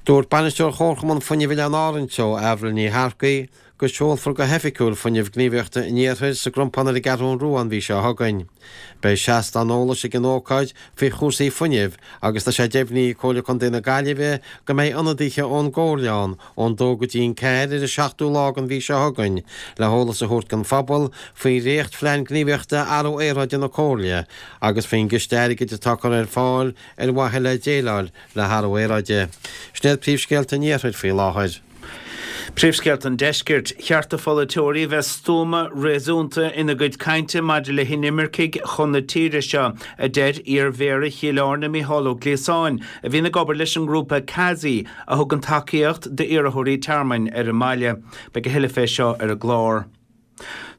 Dúirt Bainisteoir Chomharchumann Fuinnimh Oileáin Árann Teo, Avril Ní Shearcaigh, go seolfar go hoifigiúil Fuinneamh Gníomhaíochta an Iarthair sa gCrompán ar an gCeathrú Rua an mhí seo chugainn. Beidh seastán eolais ag an ócáid faoi chúrsaí fuinnimh agus tá sé deimhnithe ag Comhairle Contae na Gaillimhe go mbeidh ionadaithe ón gComhairle ann ón dó go dtí an ceathair ar an seachtú lá den mhí seo chugainn le heolas a thabhairt don phobal faoi dhréacht-Phlean Gníomhaíochta Athrú Aeráide na Comhairle agus faoin gciste airgid atá curtha ar fáil ar mhaithe le déileáil le hathrú aeráide. Sin iad príomhscéalta an Iarthair faoi láthair. Príomhscéalta an Deiscirt, Cheart do pholaiteoirí a bheith stuama, réasúnta ina gcuid cainte maidir le hinimircigh chun na tíre seo, a deir iar-Mhéara Chill Airne Mícheál Ó Gliasáin, a bhíonn ag obair leis an ngrúpa CASI a thugann tacaíocht d'iarrthóirí tearmainn ar an mbaile. Beidh a thuilleadh fé seo ar an gclár.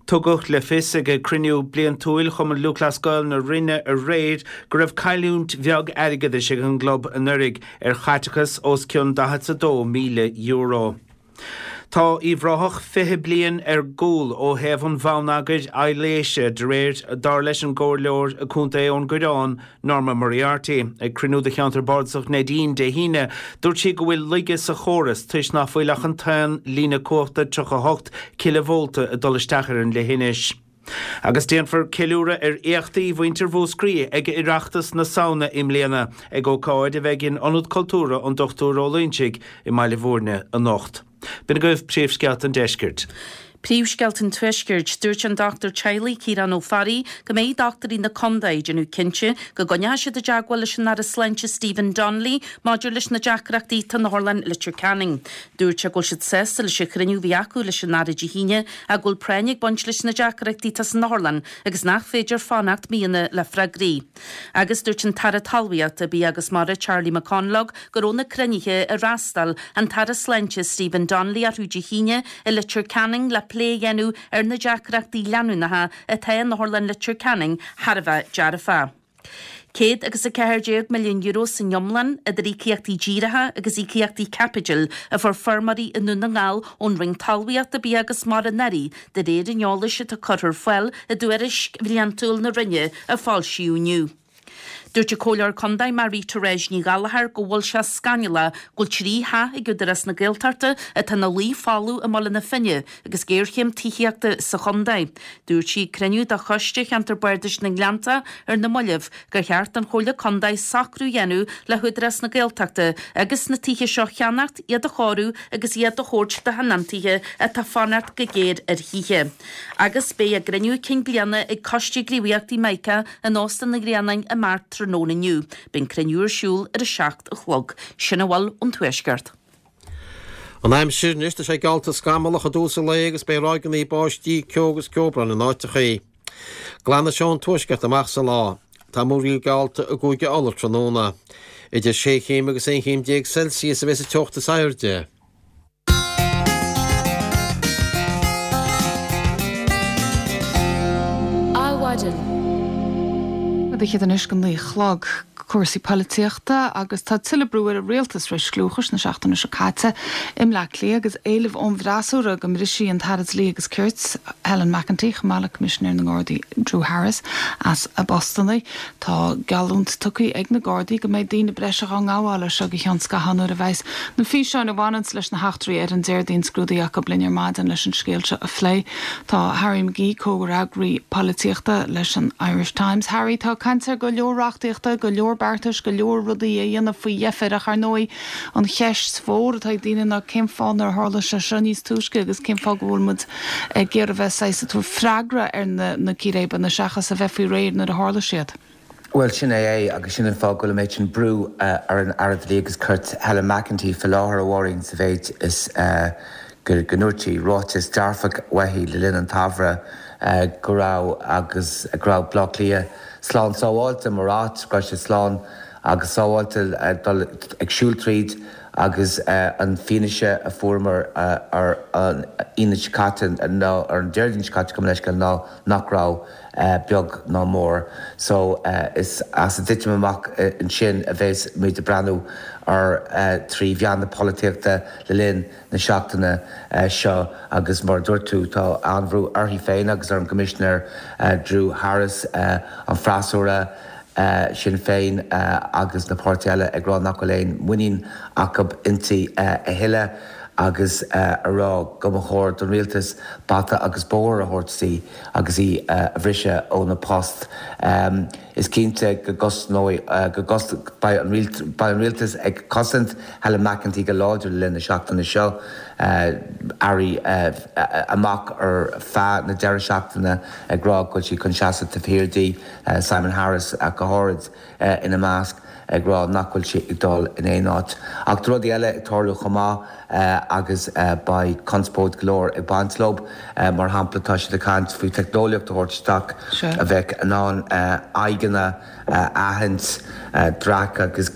Tugadh le fios ag cruinniú bliantúil Chumann Lúthchleas Gael na Rinne aréir go raibh cailliúint bheag airgeadais ag an gclub anuraidh ar chaiteachas os cionn €42,000. Tá Uíbh Ráthach 20 bliain ar gcúl ó thaobh an bhonneagair aibhléise de réir dar leis an gComhairleoir Contae Eoghan Gurán, Norma Moriarty. Ag cruinniú de Cheantar Bardasach Neidín Dé hAoine, dúirt sí go bhfuil laige sa chóras toisc nach bhfuil ach an t-aon líne cumhachta 38 cileavólta ag dul isteach ar an leithinis. Agus déanfar ceiliúradh ar éachtaí mhuintir Mhúscraí ag Oireachtas na Samhna i mbliana ag ócáid a bheidh in Ionad Cultúrtha an Dr Ó Loingsigh i mBaile Bhúirne anocht. B'in agaibh príomhscéalta an deiscirt. Príomhscéalta an Tuaiscirt, Dúirt an dochtúir teaghlaigh Ciarán Ó Fearraigh go mbeidh dochtúirí na contae ag déanamh cinnte go gcoinneoidh siad i dteagmháil leis an Aire Sláinte Stephen Donnelly maidir leis na deacrachtaí atá in Otharlann Leitir Ceanainn. Dúirt sé go bhfuil siad sásta leis an chruinniú a bhí acu leis an Aire Dé hAoine ach go bhfuil práinn ag baint leis na deacrachtaí atá san otharlann agus nach féidir fanacht míonna le freagraí. Agus dúirt an tAire Talmhaíochta, Bia agus Mara Charlie McConalogue go raibh na cruinnithe ar fhreastail an tAire Sláinte Stephen Donnelly orthu Dé hAoine i Leitir Ceanainn le plé a dhéanamh ar na deacrachtaí leanúnacha atá in Otharlann Leitir Ceanainn thar a bheith dearfach. €114 milliún san iomlán idir íocaíochtaí díreacha agus íocaíochtaí caipitil a fuair feirmeoirí i nDún na nGall ón Roinn Talmhaíochta, Bia agus Mara anuraidh, de réir an eolais atá curtha ar fáil i dtuairisc bhliantúil na Roinne a foilsíodh inniu. Dúirt an Comhairleoir Contae Marie Therese Ní Ghallchóir go bhfuil sé scannalach go bhfuil 3 theach ag Údarás na Gaeltachta atá ina luí folamh i mBaile na Finne agus géarchéim tithíochta sa chontae. Dúirt sí ag cruinniú de Choiste Cheantar Bardais na nGleannta ar na mallaibh gur cheart don Chomhairle Contae socrú a dhéanamh le hÚdarás na Gaeltachta agus na tithe seo a cheannacht, iad a chóiriú agus iad a thabhairt do thionóntaithe atá ag fanacht go géar ar thithe. Agus beidh a gcruinniú cinn bliana ag Coiste Gníomhaíochtaí Mica in Óstán an Ghrianáin i mBeart tráthnóna inniu. Beidh an cruinniú ar siúl ar a 7 a chlog. Sin a bhfuil ón Tuaisceart. An aimsir anois, tá sé geallta scamallach i dtús an lae agus beidh ráigeanna báistí, ceo agus ceobhrán in áiteachaí. Glanfaidh sé ón tuaisceart amach sa lá. Tá múraíl geallta i gCúige Uladh tráthnóna. Idir sé chéim agus 11 chéim Celsius a bheas an teocht is airde. Adhmhaidin. Fichead anois go 9 a chlog. Cúrsaí polaitíochta agus tá tuilleadh brú ar an rialtas tar éis scliúchais na seachtaine seo caite i mBleá Cliath agus éileamh ón bhfreasúra go mbrisfí an tAire Dlí agus Cirt, Helen McEntee, chomh maith le Coimisinéir na nGardaí Drew Harris as a bpostanna. Tá geallúint tugtha ag na Gardaí go mbeidh daoine breise dhá ngabháil as seo go ceann scaithimh nuair a bheas na físeáin a bhaineanns leis na heachtraí ar an Déardaoin scrúdaithe acu. Linn ar maidin leis an scéal seo a phlé tá Harry McGee, comhfhreagraí polaitíochta leis an Irish Times. Harry, tá caint ar go leor reachtaíochta, go leor beartais, go leor rudaí a dhéanamh faoi dheifir ach ar ndóigh an cheist mhór atá ag daoine ná cén fáth nár tharla sé seo níos túisce agus cén fáth go bhfuil muid ag iarraidh a bheith saghas ag tabhairt freagra ar na círéibeanna seachas a bheith faoi réir nuair a tharla siad. Bhuel, sin é é agus sin an fáth go bhfuil an méid sin brú ar an Aire Dlí agus Cirt Helen McEntee faoi láthair, a Mháirín, sa mhéid is go ndúirt sí, ráiteas dearfach uaithi le linn an tsamhraidh go raibh agus go raibh Baile Átha Cliath slán sábháilte mar áit, go raibh sé slán agus sábháilte dul ag siúl tríd. Agus an fianaise a fuaireamar ar an Aoine seo caite, nó ar an Déardaoin seo caite, gabh mo leithscéal, ná nach raibh, beag ná mór. So, is as an dtitim amach ansin a bheas muid ag breathnú ar trí mheán na polaitíochta le linn na seachtaine seo agus mar a dúirt tú, tá an-bhrú uirthi féin agus ar an gCoimisinéir Drew Harris, an freasúra, Sinn Féin agus na páirtithe eile ag rá nach bhfuil aon mhuinín acu inti a thuilleadh. agus a rá go mba chóir don rialtas bata agus bóthar a thabhairt di agus í a bhriseadh óna post. Is cinnte go gcosnóidh, go gcos, beidh an beidh an rialtas ag cosaint Helen McEntee go láidir le linn na seachtaine seo. Airí amach ar feadh na deireadh seachtaine ag rá go bhfuil siad chun seasamh taobh thiar di, Simon Harris ach go háirid ina measc, ag rá nach bhfuil sí ag dul in aon áit. Ach tá rudaí eile ag tarlú chomh maith agus beidh conspóid go leor ag baint leo. Mar shampla, tá siad ag caint faoi teicneolaíocht a thabhairt isteach a bheadh in ann aghaidheanna a aithint, dreach agus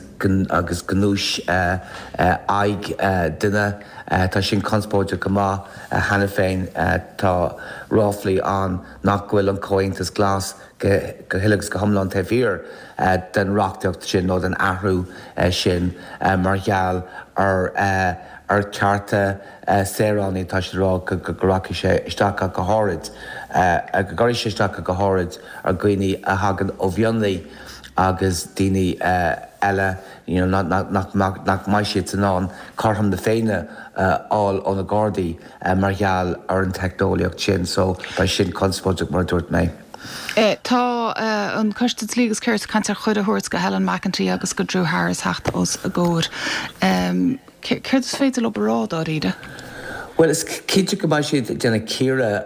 agus gnúis aghaidh duine. Tá sin conspóideach go maith cheana féin. Tá ráflaí ann nach bhfuil an Comhaontas Glas go huile agus go hiomlán taobh thiar den reachtaíocht sin nó den athrú sin mar gheall ar ar chearta saoránaigh. Tá siad ag rá go rachaidh sé isteach ach go háirid, go gcuirfidh sé isteach ach go háirid ar dhaoine a thagann ó mhionlaigh agus daoine eile you know nach nach mbeidh siad in ann cothrom na Féinne a fháil ó na Gardaí mar gheall ar an teicneolaíocht sin. So beidh sin conspóideach mar a dúirt mé. Tá an Coiste Dlí agus Cirt ag caint ar chuireadh a thabhairt go Helen McEntee agus go Drew Harris theacht os a gcomhair. Céard is féidir leo a rá dáiríre? Bhuel, is cinnte go mbeidh siad ag déanamh cíoradh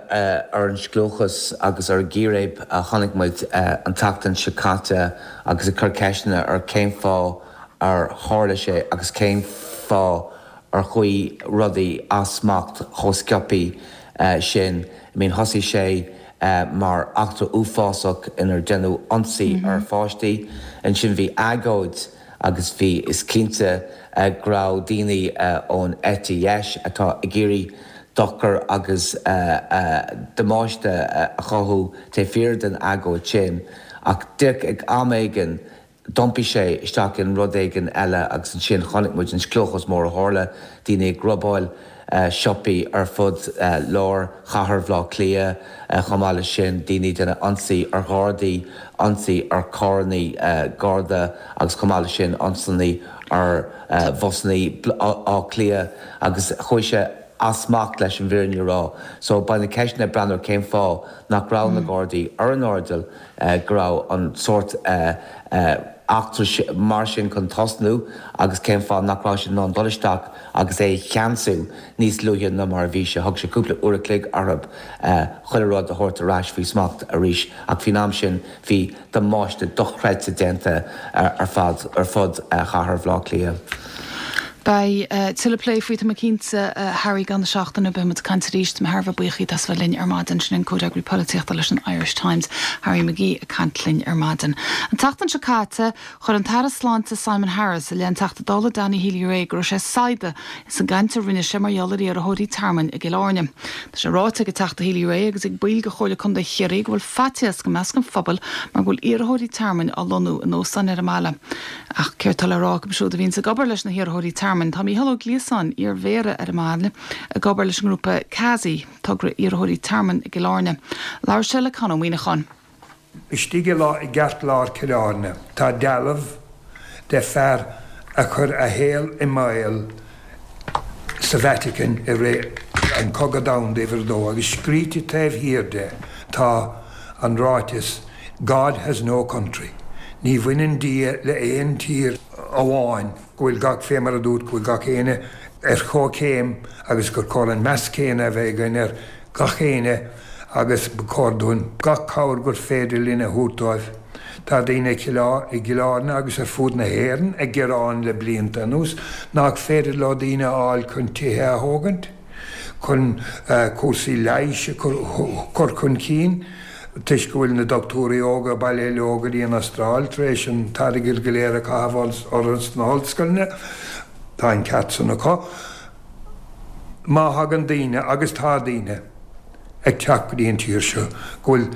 ar an scliúchas agus ar an gcíréib a chonaic muid an tseachtain seo caite agus ag cur ceisteanna ar cén fáth ar tharla sé agus cén fáth ar chuaigh rudaí as smacht chomh sciobthaí sin. I mean, thosaigh sé mar eachtra uafásach inar deineadh ionsaí ar pháistí. Ansin bhí agóid agus bhí, is cinnte go raibh daoine ón eite dheis atá ag iarraidh dochar agus damáiste a chothú taobh thiar den agóid sin ach díreach ag am éigin D'iompaigh sé isteach in rud éigin eile agus ansin chonaic muid an scliúchas mór a tharla, daoine ag robáil siopaí ar fud lár chathair Bhaile Átha Cliath, chomh maith leis sin daoine ag déanamh ionsaí ar ghardaí, ionsaí ar charrannaí garda agus chomh maith leis sin ionsaí ar bhusannaí Átha Cliath agus chuaigh sé as smacht leis an bhfírinne a rá. So beidh na ceisteanna ag breathnú ar cén fáth nach raibh na gardaí ar an airdeall go raibh an sórt eachtra mar sin chun tosnú agus cén fáth nach raibh siad in ann dul isteach agus é a cheansú níos luaithe ná mar a bhí sé. Thug sé cúpla uair a chloig orthu chuile rud a thabhairt ar ais faoi smacht arís ach faoin am sin bhí damáiste dochreidte déanta ar fad ar fud chathair Bhaile Átha Cliath. Beidh tuilleadh plé faoi, tá mé cinnte, a Harry, i gcaitheamh na seachtaine. Beidh muid ag caint arís. Tá mé thar a bheith buíoch díot as bheith linn ar maidin. Sin an Comhfhreagraí Polaitíochta leis an Irish Times, Harry McGee, ag caint linn ar maidin. An tseachtain seo caite, chuir an tAire Sláinte Simon Harris i leith an Teachta Dála Danny Healy-Rae go raibh sé saghda ins an gcaint a rinne sé mar gheall ar iarrthóirí tearmainn i gCill Airne. Tá sé ráite ag an Teachta Healy-Rae agus ag baill de Chomhairle Contae Chiarraí go bhfuil faitíos i measc an phobail mar go bhfuil iarrthóirí tearmainn á lonnú in óstáin ar an mbaile. Ach céard tá le rá acu siúd a bhíonns ag obair leis na hiarrthóirí tearmainn? Tá Mícheál Ó Gliasáin, iar-mhéara ar an mbaile, ag obair leis an ngrúpa CASI, togra iarrthóirí tearmainn i gCill Airne. Labhair sé le Con Ó Muíneacháin. Istigh i gceartlár Cill Airne tá dealbh de fear a chuir a shaol i mbaol sa Vatican i rith an Cogadh Domhanda Uimhir a Dó agus scríte taobh thiar de tá an ráiteas God has no country. Ní bhaineann Dia le aon tír amháin, go bhfuil gach, fé mar a dúirt, go bhfuil gach éinne ar chomhchéim agus gur chóir an meas céanna a bheith againn ar gach éinne agus ba chóir dúinn gach cabhair gur féidir linn a thabhairt dóibh. Tá daoine i gCill Airne agus ar fud na hÉireann ag gearán le blianta anuas nach féidir leo daoine a fháil chun tithe a thógaint, chun cúrsaí leighis a chur chun cinn. Toisc go bhfuil na dochtúirí óga bailithe leo go dtí an Astráil tar éis an t-airgead go léir a chaitheamh orthu sna hollscoileanna, tá an ceart san acu. Má thagann daoine, agus tá daoine, ag teacht go dtí an tír seo go bhfuil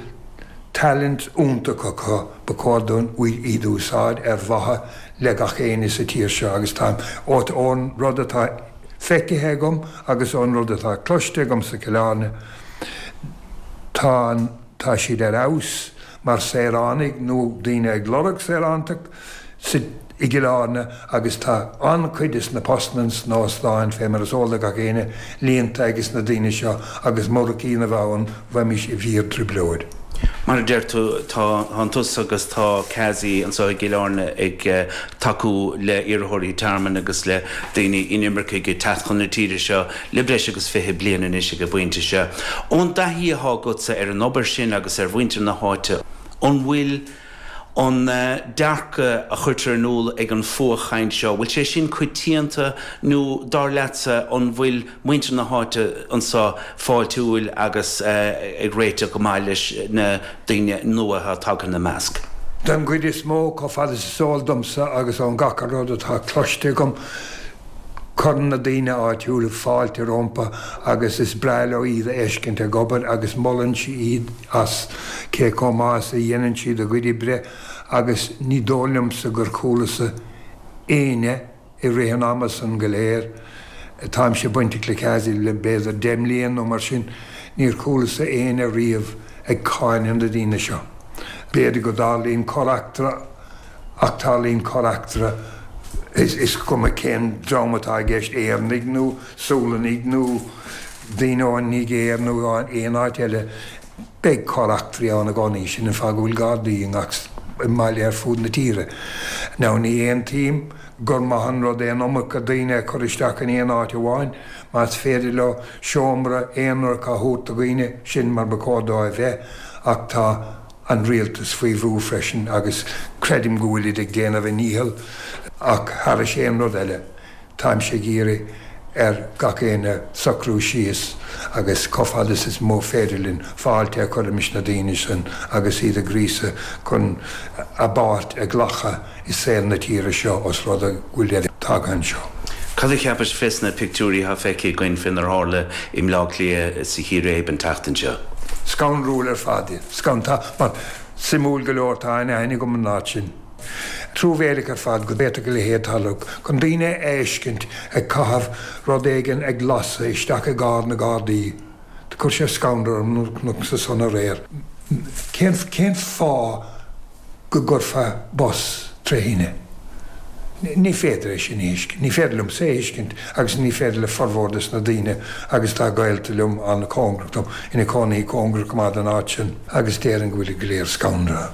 talent iontach acu, ba chóir dúinn iad a úsáid ar mhaithe le gach éinne sa tír seo agus tá, ón rud atá feicthe agam agus ón rud atá cloiste agam sa Cill Airne, Tá an, tá siad ar fheabhas mar saoránaigh nó daoine ag lorg saorántacht sa. I gCill Airne agus tá an-chuid des na postanna sna hóstáin, fé mar is eol do gach éinne, líonta ages na daoine seo agus murach iad a bheith ann bheimis i bhfíor-trioblóid. Mar a deir tú, tá tusa agus tá CASI anseo i gCill Airne ag tacú le iarrthóirí tearmainn agus le daoine inimircigh ag teacht chun na tíre seo le breis agus 20 bliain anois ag an bpointe seo. Ón dtaithí atá agatsa ar an obair sin agus ar mhuintir na háite, an bhfuil an dearcadh a chuirtear in iúl ag an fuathchaint seo, bhfuil sé sin coitianta nó dar leatsa an bhfuil muintir na háite anseo fáiltiúil agus ag réiteach go maith leis na daoine nua atá tagtha ina measc? Den gcuid is mó, chomh fada is is eol domsa agus ón gach rud atá cloiste agam, Cuireann na daoine áitiúla fáilte rompu agus is breá leo iad a fheiscint ag obair agus molann siad iad as cé chomh maith is a dhéanann siad a gcuid oibre agus ní dóigh liomsa gur chualasa éinne i rith an ama san go léir, táimse bainteach le CASI le b'fhéidir 10 mbliain nó mar sin, níor chualasa éinne riamh ag cáineadh na daoine seo. B'fhéidir go dtarlaíonn corr-eachtra Ach tarlaíonn corr-eachtra, is cuma cén dream atá i gceist, Éireannaigh nó Sualannaigh nó daoine ón Nigéir nó aon áit eile, beidh corr-eachtraí ann i gcónaí. Sin an fáth go bhfuil Gardaí i ngach mbaile ar fud na tíre. Now ní aontaím gur maith an rud é an iomarca daoine a chur isteach in aon áit amháin. Más féidir leo seomra aonarach a thabhairt do dhaoine, sin mar ba chóir dó a bheith. Ach tá. an rialtas faoi bhrú freisin agus creidim go bhfuilid ag déanamh a ndícheall ach thairis aon rud eile táimse ag iarraidh ar gach éinne socrú síos agus chomh fada is is mó féidir linn fáilte a chur roimis na daoine sin agus iad a ghríosadh chun a bpáirt a ghlacadh i saol na tíre seo os rud é go bhfuil siad tagtha anseo. Cad a cheapais fés na pictiúirí atá feicthe againn fénar tharla i mBleá Cliath sa chíréib an tseachtain seo? Scanrúil ar fad iad. Scan, mar, suimiúil go leor, tá an-aithne agam an áit sin. Truamhéileach ar fad go bhféadfadh a leithéid tarlú. Chun daoine a fheiscint ag caitheamh rud éigin ag lasadh isteach i gcarr na Gardaí, do chuir sé scanradh orm nuair a chonacsa san aréir. Cén, cén fáth go gcuirfeá bus tré thine. Ní féidir é sin a thuiscint. Ní féidir liomsa é a thuiscint agus ní féidir le formhór des na daoine agus tá gaolta liom an-chóngarach dom ina cónaí cóngarach go maith don áit sin agus déarfainn go bhfuilid go léir scanraithe.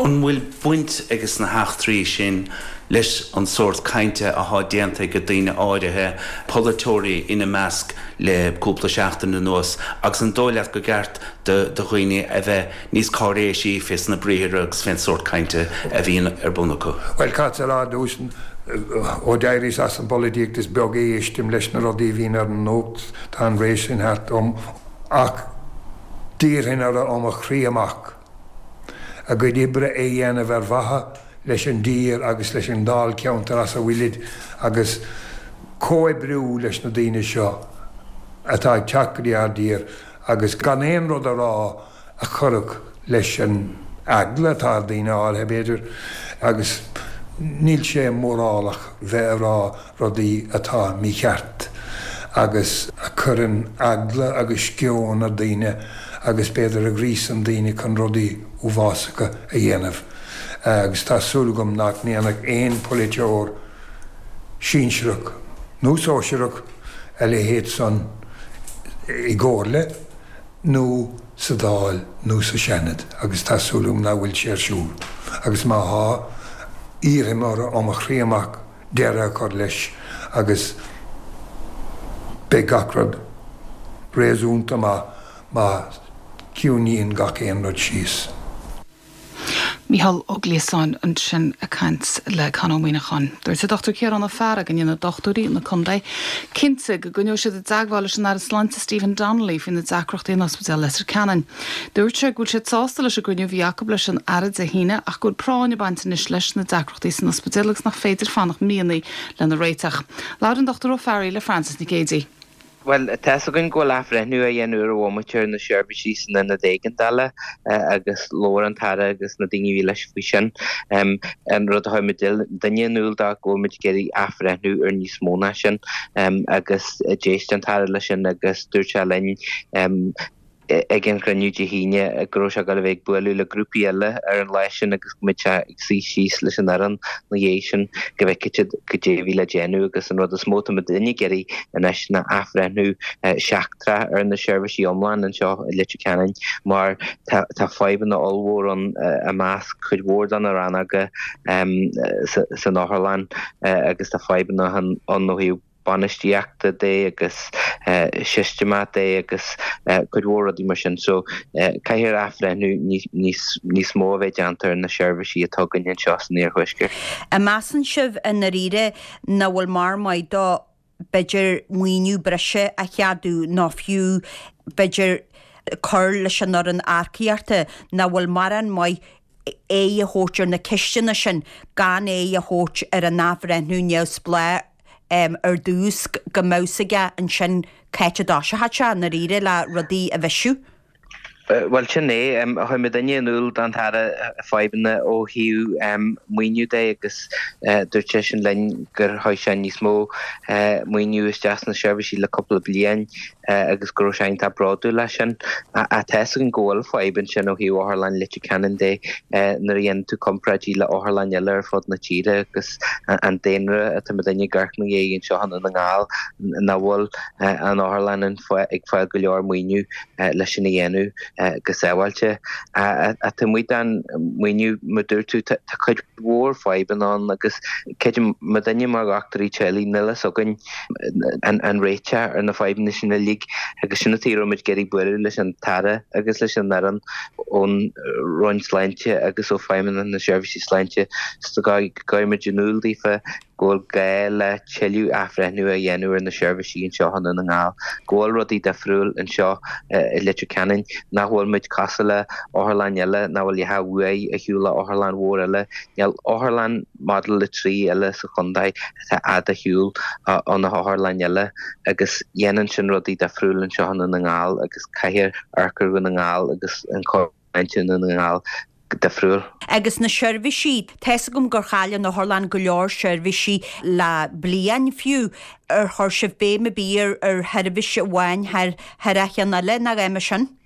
An bhfuil baint ages na heachtraí sin leis an sórt cainte athá déanta ag daoine áirithe, polaiteoirí ina measc, le cúpla seachtain anuas agus an dóigh leat go gceart do dhaoine a bheith níos cáiréisí fés na briathra agus fén sórt cainte a bhíonn ar bun acu. Bhuel, caithfead a rá ar dtús, ó d'éiríos as an bpolaitíocht is beag a éistim leis na rudaí a bhíonn ar an nuacht, tá an ré sin thart dom, ach d'iarrfainn orthu ó mo chroí amach a gcuid oibre a dhéanamh ar mhaithe leis an dtír agus leis an dáilcheantar as a bhfuilid agus comhoibriú leis na daoine seo atá ag teacht go dtí ár dtír agus gan aon rud a rá a chuirfeadh leis an eagla atá ar daoine áirithe, b'fhéidir, agus níl sé mórálach bheith ag rá rudaí atá mícheart agus a chuireann eagla agus sceon ar daoine agus b'fhéidir a ghríosann daoine chun rudaí uafásacha a dhéanamh. Agus tá súil agam nach ndéanfadh aon pholaiteoir sinsearach nó sóisearach a leithéid san i gcomhairle nó sa Dáil nó sa Seanad agus tá súil agam nach bhfuil sé ar siúl agus má thá, iarrfaim orthu ó mo chroí amach deireadh a chur leis agus beidh gach rud réasúnta maith má chiúnaíonn gach aon rud síos. Mícheál Ó Gliasáin ansin ag caint le Con Ó Muíneacháin. Dúirt an Dr Ciarán Ó Fearraigh go ndéanfaidh dochtúirí na contae cinnte go gcoinneoidh siad i dteagmháil leis an Aire Sláinte Stephen Donnelly faoi na deacrachtaí in Ospidéal Leitir Ceanainn. Dúirt sé go bhfuil siad sásta leis an gcruinniú a bhí acu leis an Aire Dé hAoine ach go bhfuil práinn ag baint anois leis na deacrachtaí san ospidéal agus nach féidir fanacht míonna lena réiteach. Labhair an Dr Ó Fearraigh le Frances Nic Géadaigh. Bhuel, tá's againn go bhfuil athbhreithniú á dhéanamh ar an bhomaite ar na seirbhísí san ionad éigeandála agus labhair an tAire agus na daoine a bhí leis faoi sin. An rud a chuir muidinne in iúl dó go bhfuil muid ag iarraidh athbhreithniú ar níos mó ná sin agus d'éist an tAire leis sin agus dúirt sé linn. ag an chruinniú Dé hAoine go raibh sé ag dul a bheith ag bualadh le grúpaí eile ar an lá sin agus go mbeadh sé ag suí síos leis an fhoireann ina dhiaidh sin go bhfeicfeadh siad goidé a bhí le déanamh agus an rud is mó atá muidinne ag iarraidh anois ná athbhreithniú seachtrach ar na seirbhísí iomlán anseo i Leitir Ceanainn mar tá tá fadhbanna ollmhór ann i measc cuid mhór de na rannóga san otharlann agus tá fadhbanna ann ó thaobh bainistíochta de agus sisteamach de agus cuid mhór rudaí mar sin. So caithfear athbhreithniú níos níos mó a bheith déanta ar na seirbhísí atá againn anseo san iarthuaisceart. An measann sibh i ndáiríre nach bhfuil mórán maith dó b'fhéidir maoiniú breise a cheadú nó fiú b'fhéidir cur leis an fhoireann earcaíochta, nach bhfuil mórán maith aghaidh a thabhairt ar na ceisteanna sin gan aghaidh a thabhairt ar an athbhreithniú neamhspleách ar dtús, go mbeadh 's aige ansin c'áit a dtoiseochadh sé i ndáiríre le rudaí a bhisiú. Bhuel, sin é. Chuir muidinne in iúl don Aire fadhbanna ó thaobh maoiniú de agus dúirt seisean linn gur chuir sé níos mó maoiniú isteach sna seirbhísí le cúpla bliain agus go raibh sé iontach bródúil as sin. Ach tá 'fhios againn go bhfuil fadhb ansin ó thaobh Otharlann Leitir Ceanainn de nuair a dhéanann tú comparáidí le otharlann eile ar fud na tíre agus an daonra atá muidinne ag amharc ina dhiaidh anseo i nDún na nGall nach bhfuil an otharlann ag fáil go leor maoiniú leis sin a dhéanamh go sábháilte. Ach taobh amuigh den mhaoiniú, mar dúirt tú, tá cuid mhór fadhbanna ann agus creidim muidinne mar dhochtúirí teaghlaigh, níl fhios againn an réiteach ar na fadhbanna sin uilig agus sin an tuige a raibh muid ag iarraidh bualadh leis an tAire agus leis an fhoireann ón Roinn Sláinte agus ó Feidhmeannacht na Seirbhísí Sláinte go gcuirfidh muid in iúl daofa go bhfuil gá le tuilleadh athbhreithniú a dhéanamh ar na seirbhísí anseo i nDún na nGall, go bhfuil rudaí difriúil anseo i Leitir Ceanainn, nach bhfuil muid cosúil le otharlann eile, nach bhfuil a dhath uaidh ar shiúl le otharlann mhór eile. Níl otharlann Model 3 eile sa chontae atá fhad ar shiúl ó na hotharlann eile agus dhéanann sin rudaí difriúil anseo i nDún na nGall agus caithfear amharc ar Dhún na nGall agus an Sláinte i nDún na nGall difriúil. Agus na seirbhísí, tá 'fhios agam gur chaill an otharlann go leor seirbhísí le bliain fiú, ar chuir sibh béim ar bith ar sheirbhís amháin thar thar a cheann eile nó a dhath mar sin?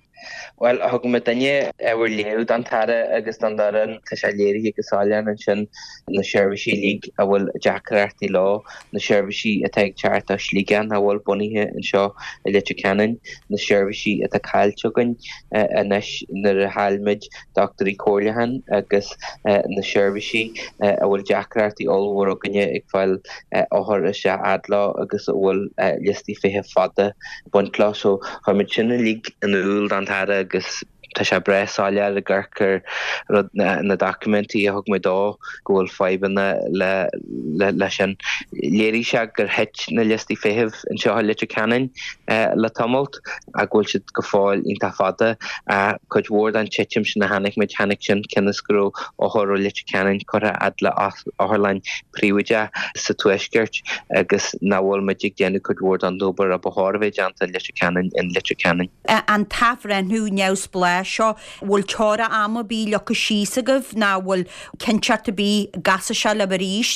Bhuel, thug muidinne ábhar léamh don tAire agus don fhoireann, tá sé léirithe go soiléir ansin na seirbhísí uilig a bhfuil deacrachtaí leo, na seirbhísí atá ag teacht ó Shligeach nach bhfuil bunaithe anseo i Leitir Ceanainn, na seirbhísí atá caillte againn anois nuair a chaill muid dochtúirí comhairliúcháin agus na seirbhísí a bhfuil deacrachtaí ollmhór againne ag fáil othair isteach fhad leo agus a bhfuil liostaí feithimh fada ag baint leo. So chuir muid sin uilig in iúl don tAire agus tá sé breá soiléir ag amharc ar rud na doiciméidí a thug muid dó go bhfuil fadhbanna le le sin. Léirigh sé gur thit na liostaí feithimh anseo i Leitir Ceanainn le tamalt. ach go bhfuil siad go fóill iontach fada. Cuid mhór den titim sin a chonaic muid, tháinig sin cionn is go raibh othair ó Leitir Ceanainn curtha fhad le otharlann príobháideach sa tuaisceart agus nach bhfuil muid ag déanamh cuid mhór den obair a ba chóir a bheith déanta i Leitir Ceanainn in Leitir Ceanainn. An t-athbhreithniú neamhspleách seo, bhfuil teora ama ar bith leagtha síos agaibh nó bhfuil cinnteacht ar bith an gcasfaidh sé libh arís?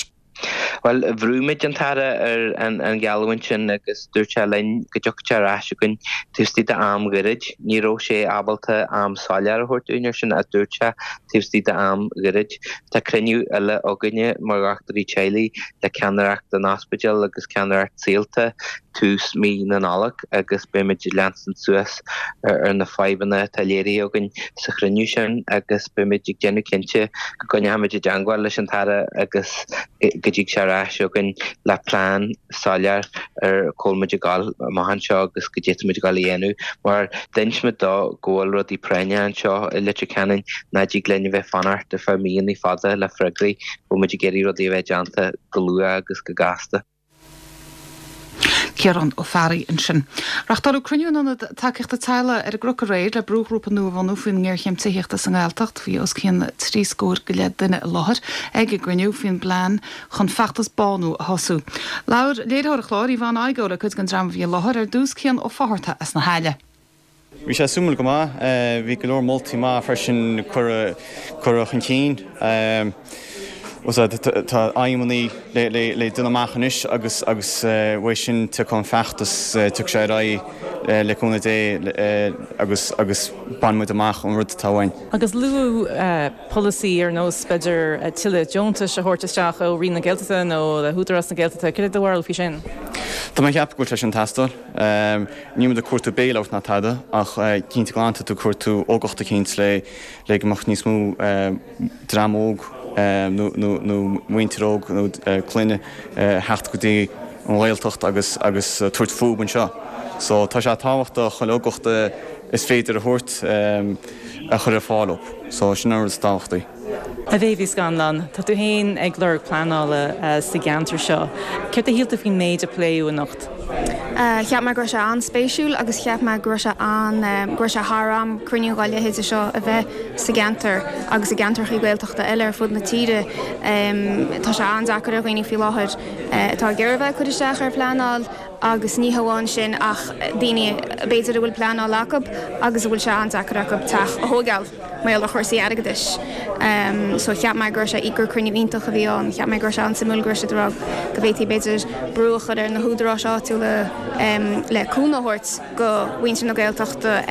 Bhuel, bhrúigh muid an tAire ar an gheallúint sin agus dúirt sé linn go dtiocfadh sé ar ais chugainn taobh istigh d'am gairid. Ní raibh sé ábalta am soiléir a thabhairt dúinn air sin ach dúirt sé taobh istigh d'am gairid. Tá cruinniú eile againne mar dhochtúirí teaghlaigh le ceannaireacht an ospidéil agus ceannaireacht Saolta tús mí na Nollag agus beidh muid ag leanstan suas ar na fadhbanna atá léirithe againn sa chruinniú sin agus beidh muid ag déanamh cinnte go gcoinneoidh muid i dteangmháil leis an tAire agus go dtig sé ar ais chugainn le plean soiléir ar cá bhfuil muid ag dul amach anseo agus goidé atá muid ag dul a dhéanamh mar d'inis muid dó go bhfuil rudaí práinneach anseo i Leitir Ceanainn nach dtig linn a bheith fanacht ar feadh míonna fada le freagraí, go bhfuil muid ag iarraidh rudaí a bheith déanta go luath agus go gasta. Ciarán Ó Fearraigh ansin. Reáchtáladh cruinniú in Ionad Tacaíochta Teaghlaigh ar an gCnoc aréir le brúghrúpa nua a bhunú faoin ngéarchéim tithíochta sa nGaeltacht. Bhí os cionn 30 scór go leith duine i láthair ag an gcruinniú faoin bplean chun feachtas bánú a thosú. Labhair léiritheoir an chláir, Yvonne Igoe, le cuid den dream a bhí i láthair, ar dtús Cian Ó Fátharta as na hAille. Bhí sé suimiúil go maith. Bhí go leor moltaí maith freisin curtha chun cinn. Tá aidhmeanna le déanamh amach anois agus agus uaidh sin tiocfaidh an feachtas, tiocfaidh sé ar aghaidh le cúnamh Dé agus agus bainfidh muid amach an rud atá uainn. Agus luadh polasaí ar nós b'fhéidir tuilleadh deontais a thabhairt isteach ó Roinn na Gaeltachta nó le hÚdarás na Gaeltachta, cad é do bharúil faoi sin? Tá mé ag ceapadh go bhfuil sé sin ag teastáil. Níl muid ag cuartú bailout ná tada ach cinnte glanta tá tú ag cuartú uchtach eicínt le le go mbeadh níos mó dream óg nó muintir óg nó clainne a theacht go dtí an Ghaeltacht agus agus tabhairt fúb anseo. So tá sé tábhachtach chuile uchtach is féidir a thabhairt a chur ar fáil dóibh. So sin an rud is tábhachtaí. A Mhéabh Uí Scanláin, tá tú féin ag lorg pleanála sa gceantar seo. Céard a shíl tú faoin méid a pléadh anocht? Cheap mé go raibh sé an-spéisiúil agus cheap mé go raibh sé an, go raibh sé thar am cruinniú dá leithéide seo a bheith sa gceantar agus i gceantracha Gaeltachta eile ar fud na tíre. Tá sé an-deacair ar dhaoine faoi láthair atá ag iarraidh a bheith ag cur isteach ar phleanáil agus ní hamháin sin ach daoine b'fhéidir a bhfuil pleanáil acu agus a bhfuil sé an-deacair acu teach a thóigeáil mar gheall ar chúrsaí airgeadais. So cheap mé go raibh sé, gur cruinniú iontach a bhí ann. Cheap mé go raibh sé an-suimiúil go raibh siad ag rá go bhféadfaí b'fhéidir brú a chur ar na húdaráis áitiúla le cúnamh a thabhairt go mhuintir na Gaeltachta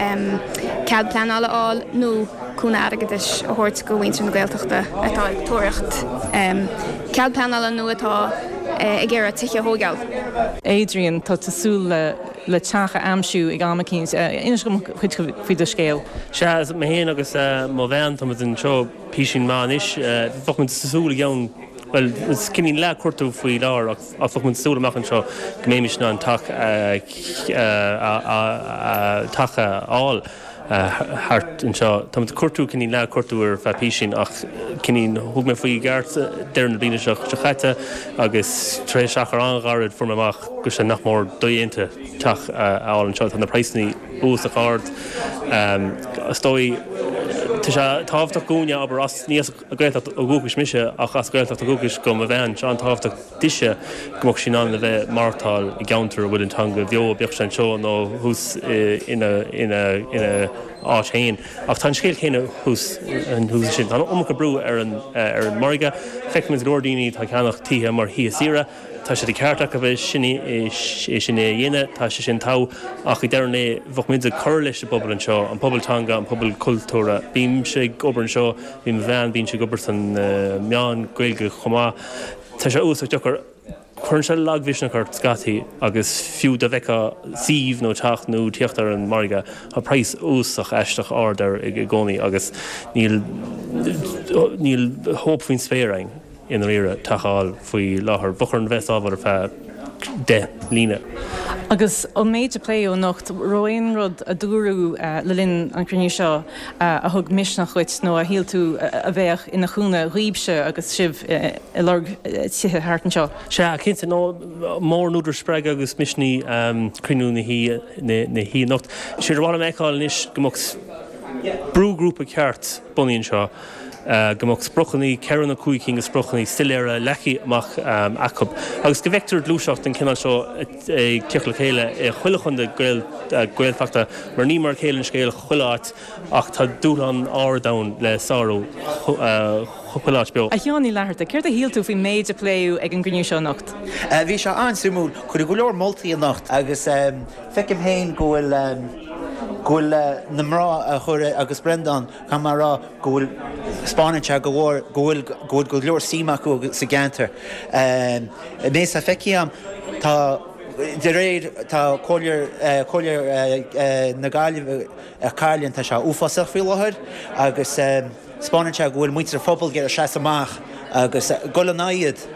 cead pleanála a fháil nó cúnamh airgeadais a thabhairt go mhuintir na Gaeltachta atá ag tóraíocht cead pleanála nó atá ag iarraidh tithe a thóigeáil. Adrian, tá tú ag súil le le teach a aimsiú ag am eicínt. Inis dom cuid faoi do scéal. Sea, mé féin agus mo bhean, tá muid anseo písín maith anois. Bheadh muid ag súil i gceann, bhuel, is cineál ag cuartú faoi láthair ach bheadh muid ag súil amach anseo go mbeimis in ann teach a teach a fháil. thart anseo. Tá muid ag cuartú, cineál ag cuartú ar feadh písín ach cineál thug mé faoi i gceart deireadh na bliana seo caite agus tar éis achar an-ghairid fuair mé amach go raibh sé nach mór dodhéanta teach a fháil anseo. Tá na praghsanna uafásach ard. Is dóigh tá sé tábhachtach dhúinne, abair, as, ní as an Ghaeltacht ó dhúchais mise ach as Gaeltacht ó dhúchais do mo bhean, tá sé an-tábhachtach dise go mbeadh sí in ann a bheith maireachtáil i gceantar a bhfuil an teanga bheo, bíodh sé anseo nó thuas ina áit féin. Ach tá an scéal céanna thuas ansin. Tá an iomarca brú ar an margadh. Feicimid go leor daoine atá ag ceannach tithe mar thithe saoire. Tá sé de cheart acu é sin a dhéanamh, tá sé sin togha, ach ag deireadh an lae bheadh muid ag cur leis an bpobal anseo, an pobal teanga, an pobal cultúrtha. Bímse ag obair anseo, bíonn mo bhean, bíonn sí ag obair sna meáin Gaeilge chomh maith. Tá sé uafásach deacair. Cuireann sé lagmhisneach ort scaití agus fiú dá bhfeicfeá suíomh nó teach nó tíocht ar an margadh, tá praghas uafásach aisteach ard air i gcónaí agus níl níl hope faoin spéir againn i ndáiríre teach a fháil faoi láthair. Bheadh orainn bheith ag sábháil ar feadh 10 mbliana. Agus an méid a pléadh anocht, raibh aon rud a dúradh le linn an chruinniú seo a thug misneach dhuit nó a shíl tú a bheadh ina chúnamh dhaoibhse agus sibh ag lorg tithe thart anseo? Sea, cinnte. Nó mór an údar spreagtha agus misnigh cruinniú na hoíche anocht. Séard ar mhaith liom a fheiceáil anois go mbeadh brúghrúpa ceart bunaithe anseo, go mbeadh spriocanna, 4 nó 5 cinn de spriocanna soiléire leagtha amach acu agus go bhfeictear gluaiseacht den chineál seo ag tíocht le chéile i chuile chontae Gaeltachta mar ní mar a chéile an scéal chuile áit ach tá dúshlán ard ann le sárú chuile áit beo. A Sheáin Uí Fhlatharta, céard a shíl tú faoin méid a pléadh ag an gcruinniú seo anocht? Bhí sé an-suimiúil. Cuireadh go leor moltaí anocht agus feicim féin go bhfuil go bhfuil na mná a chuir agus Breandán, Caithfidh mé a rá go bhfuil, 'spáineann sé go mhór go bhfuil go bhfuil go leor suim acu sa gceantar. Mé sa feicthe agam tá de réir tá Comhairle Comhairle na Gaillimhe ar Cairlinn tá sé uafásach faoi láthair agus 'spáineann sé go bhfuil muintir an phobail ag iarraidh seasamh amach agus dul in aghaidh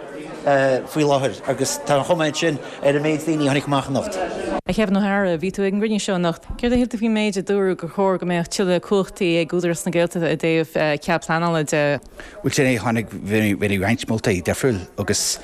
iad faoi láthair agus tá an chuma ansin ar an méid daoine a tháinig amach anocht. A Kevin O'Hara, bhí tú ag an gcruinniú seo anocht. Céard a shíl tú faoin méid a dúradh gur chóir go mbeadh tuilleadh cumhachtaí ag Údarás na Gaeltachta i dtaobh cead pleanála de? Bhuel, sin é, tháinig, bhí roinnt moltaí difriúil agus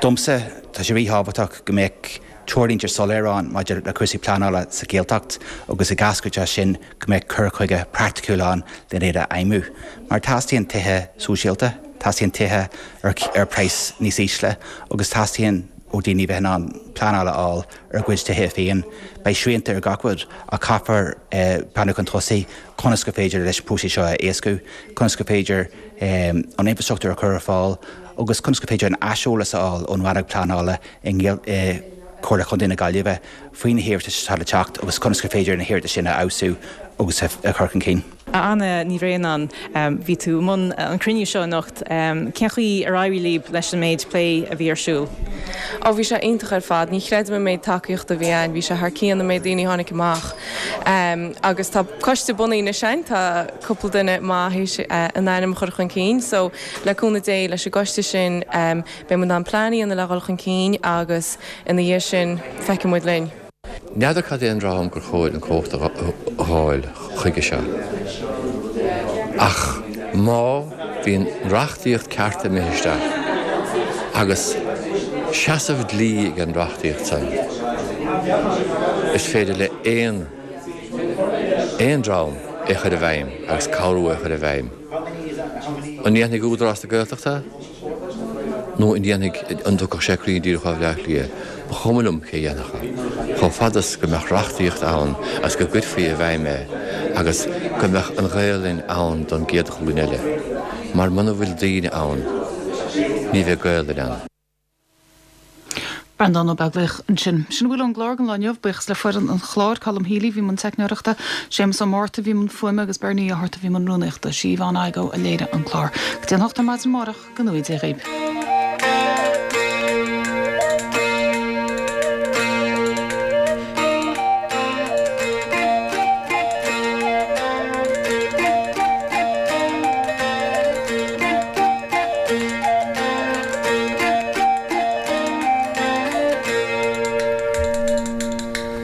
domsa tá sé ríthábhachtach go mbeadh treoirlínte soiléir ann maidir le cúrsaí pleanála sa Ghaeltacht agus i gcás go dteas sin go mbeadh cur chuige praiticiúil ann len iad a fheidhmiú. Mar teastaíonn tithe sóisialta, teastaíonn tithe ar ar praghas níos ísle agus teastaíonn ó daoine bheith in ann pleanáil a fháil ar a gcuid tithe féin. Beidh srianta ar gach rud ach caithfear breathnú chun tosaigh conas gur féidir leis an próiseas seo a éascú, conas gur féidir an infrastruchtúr a chur ar fáil. agus conas gur féidir an aiseolas a fháil ón Rannóg Pleanála i Comhairle Chontae na Gaillimhe faoi na hiarratais atá le teacht agus conas gur féidir na hiarratais sin a fheabhsú agus a chur chun cinn. A Anna Ní Bhraonáin, bhí tú i mbun an chruinniú seo anocht. Cén chaoi ar éirigh libh leis an méid plé a bhí ar siúl? Ó bhí sé iontach ar fad. Ní chreidim an méid tacaíochta a bhí ann. Bhí sé thar cionn an méid daoine a tháinig amach. Agus tá coiste bunaithe anois againn, tá cúpla duine maith théis a n-ainm a chur chun cinn. So le cúnamh Dé leis an gcoiste sin beidh muid in ann plean a dhéanamh le dhul chun cinn agus ina dhiaidh sin feicfidh muid linn. N'fheadar cad é an dream gur chóir an chumhacht a fháil chuige seo. Ach má bhíonn reachtaíocht ceart imithe isteach agus seasamh dlí ag an reachtaíocht san, is féidir le aon aon dream é chur i bhfeidhm agus cabhrú é chur i bhfeidhm. An ndéanfaidh Údarás na Gaeltachta? Nó an ndéanfaidh, an dtiocfadh sé cruinn díreach ó Bhleá Cliath? Ba chuma liom cé a dhéanfadh é. Chomh fada is go mbeadh reachtaíocht ann agus go gcuirfí i bhfeidhm é agus go mbeadh an Ghaelainn ann don gcéad ghlúin eile. Mar muna bhfuil daoine ann, ní bheidh Gaelainn ann. Breandán Ó Beaglaoich ansin. Sin a bhfuil ón gclár don lá inniu. Buíochas le foireann an chláir, Colm Healy a bhí i mbun teicneoireachta, Séamus Ó Márta a bhí i mbun fuaime agus Bernie Ó hArta a bhí i mbun rúnaíochta. Sí Yvonne Igoe a léirigh an clár. Go dtí an 8 ar maidin amárach, go ngnóthaí Dia dhaoibh.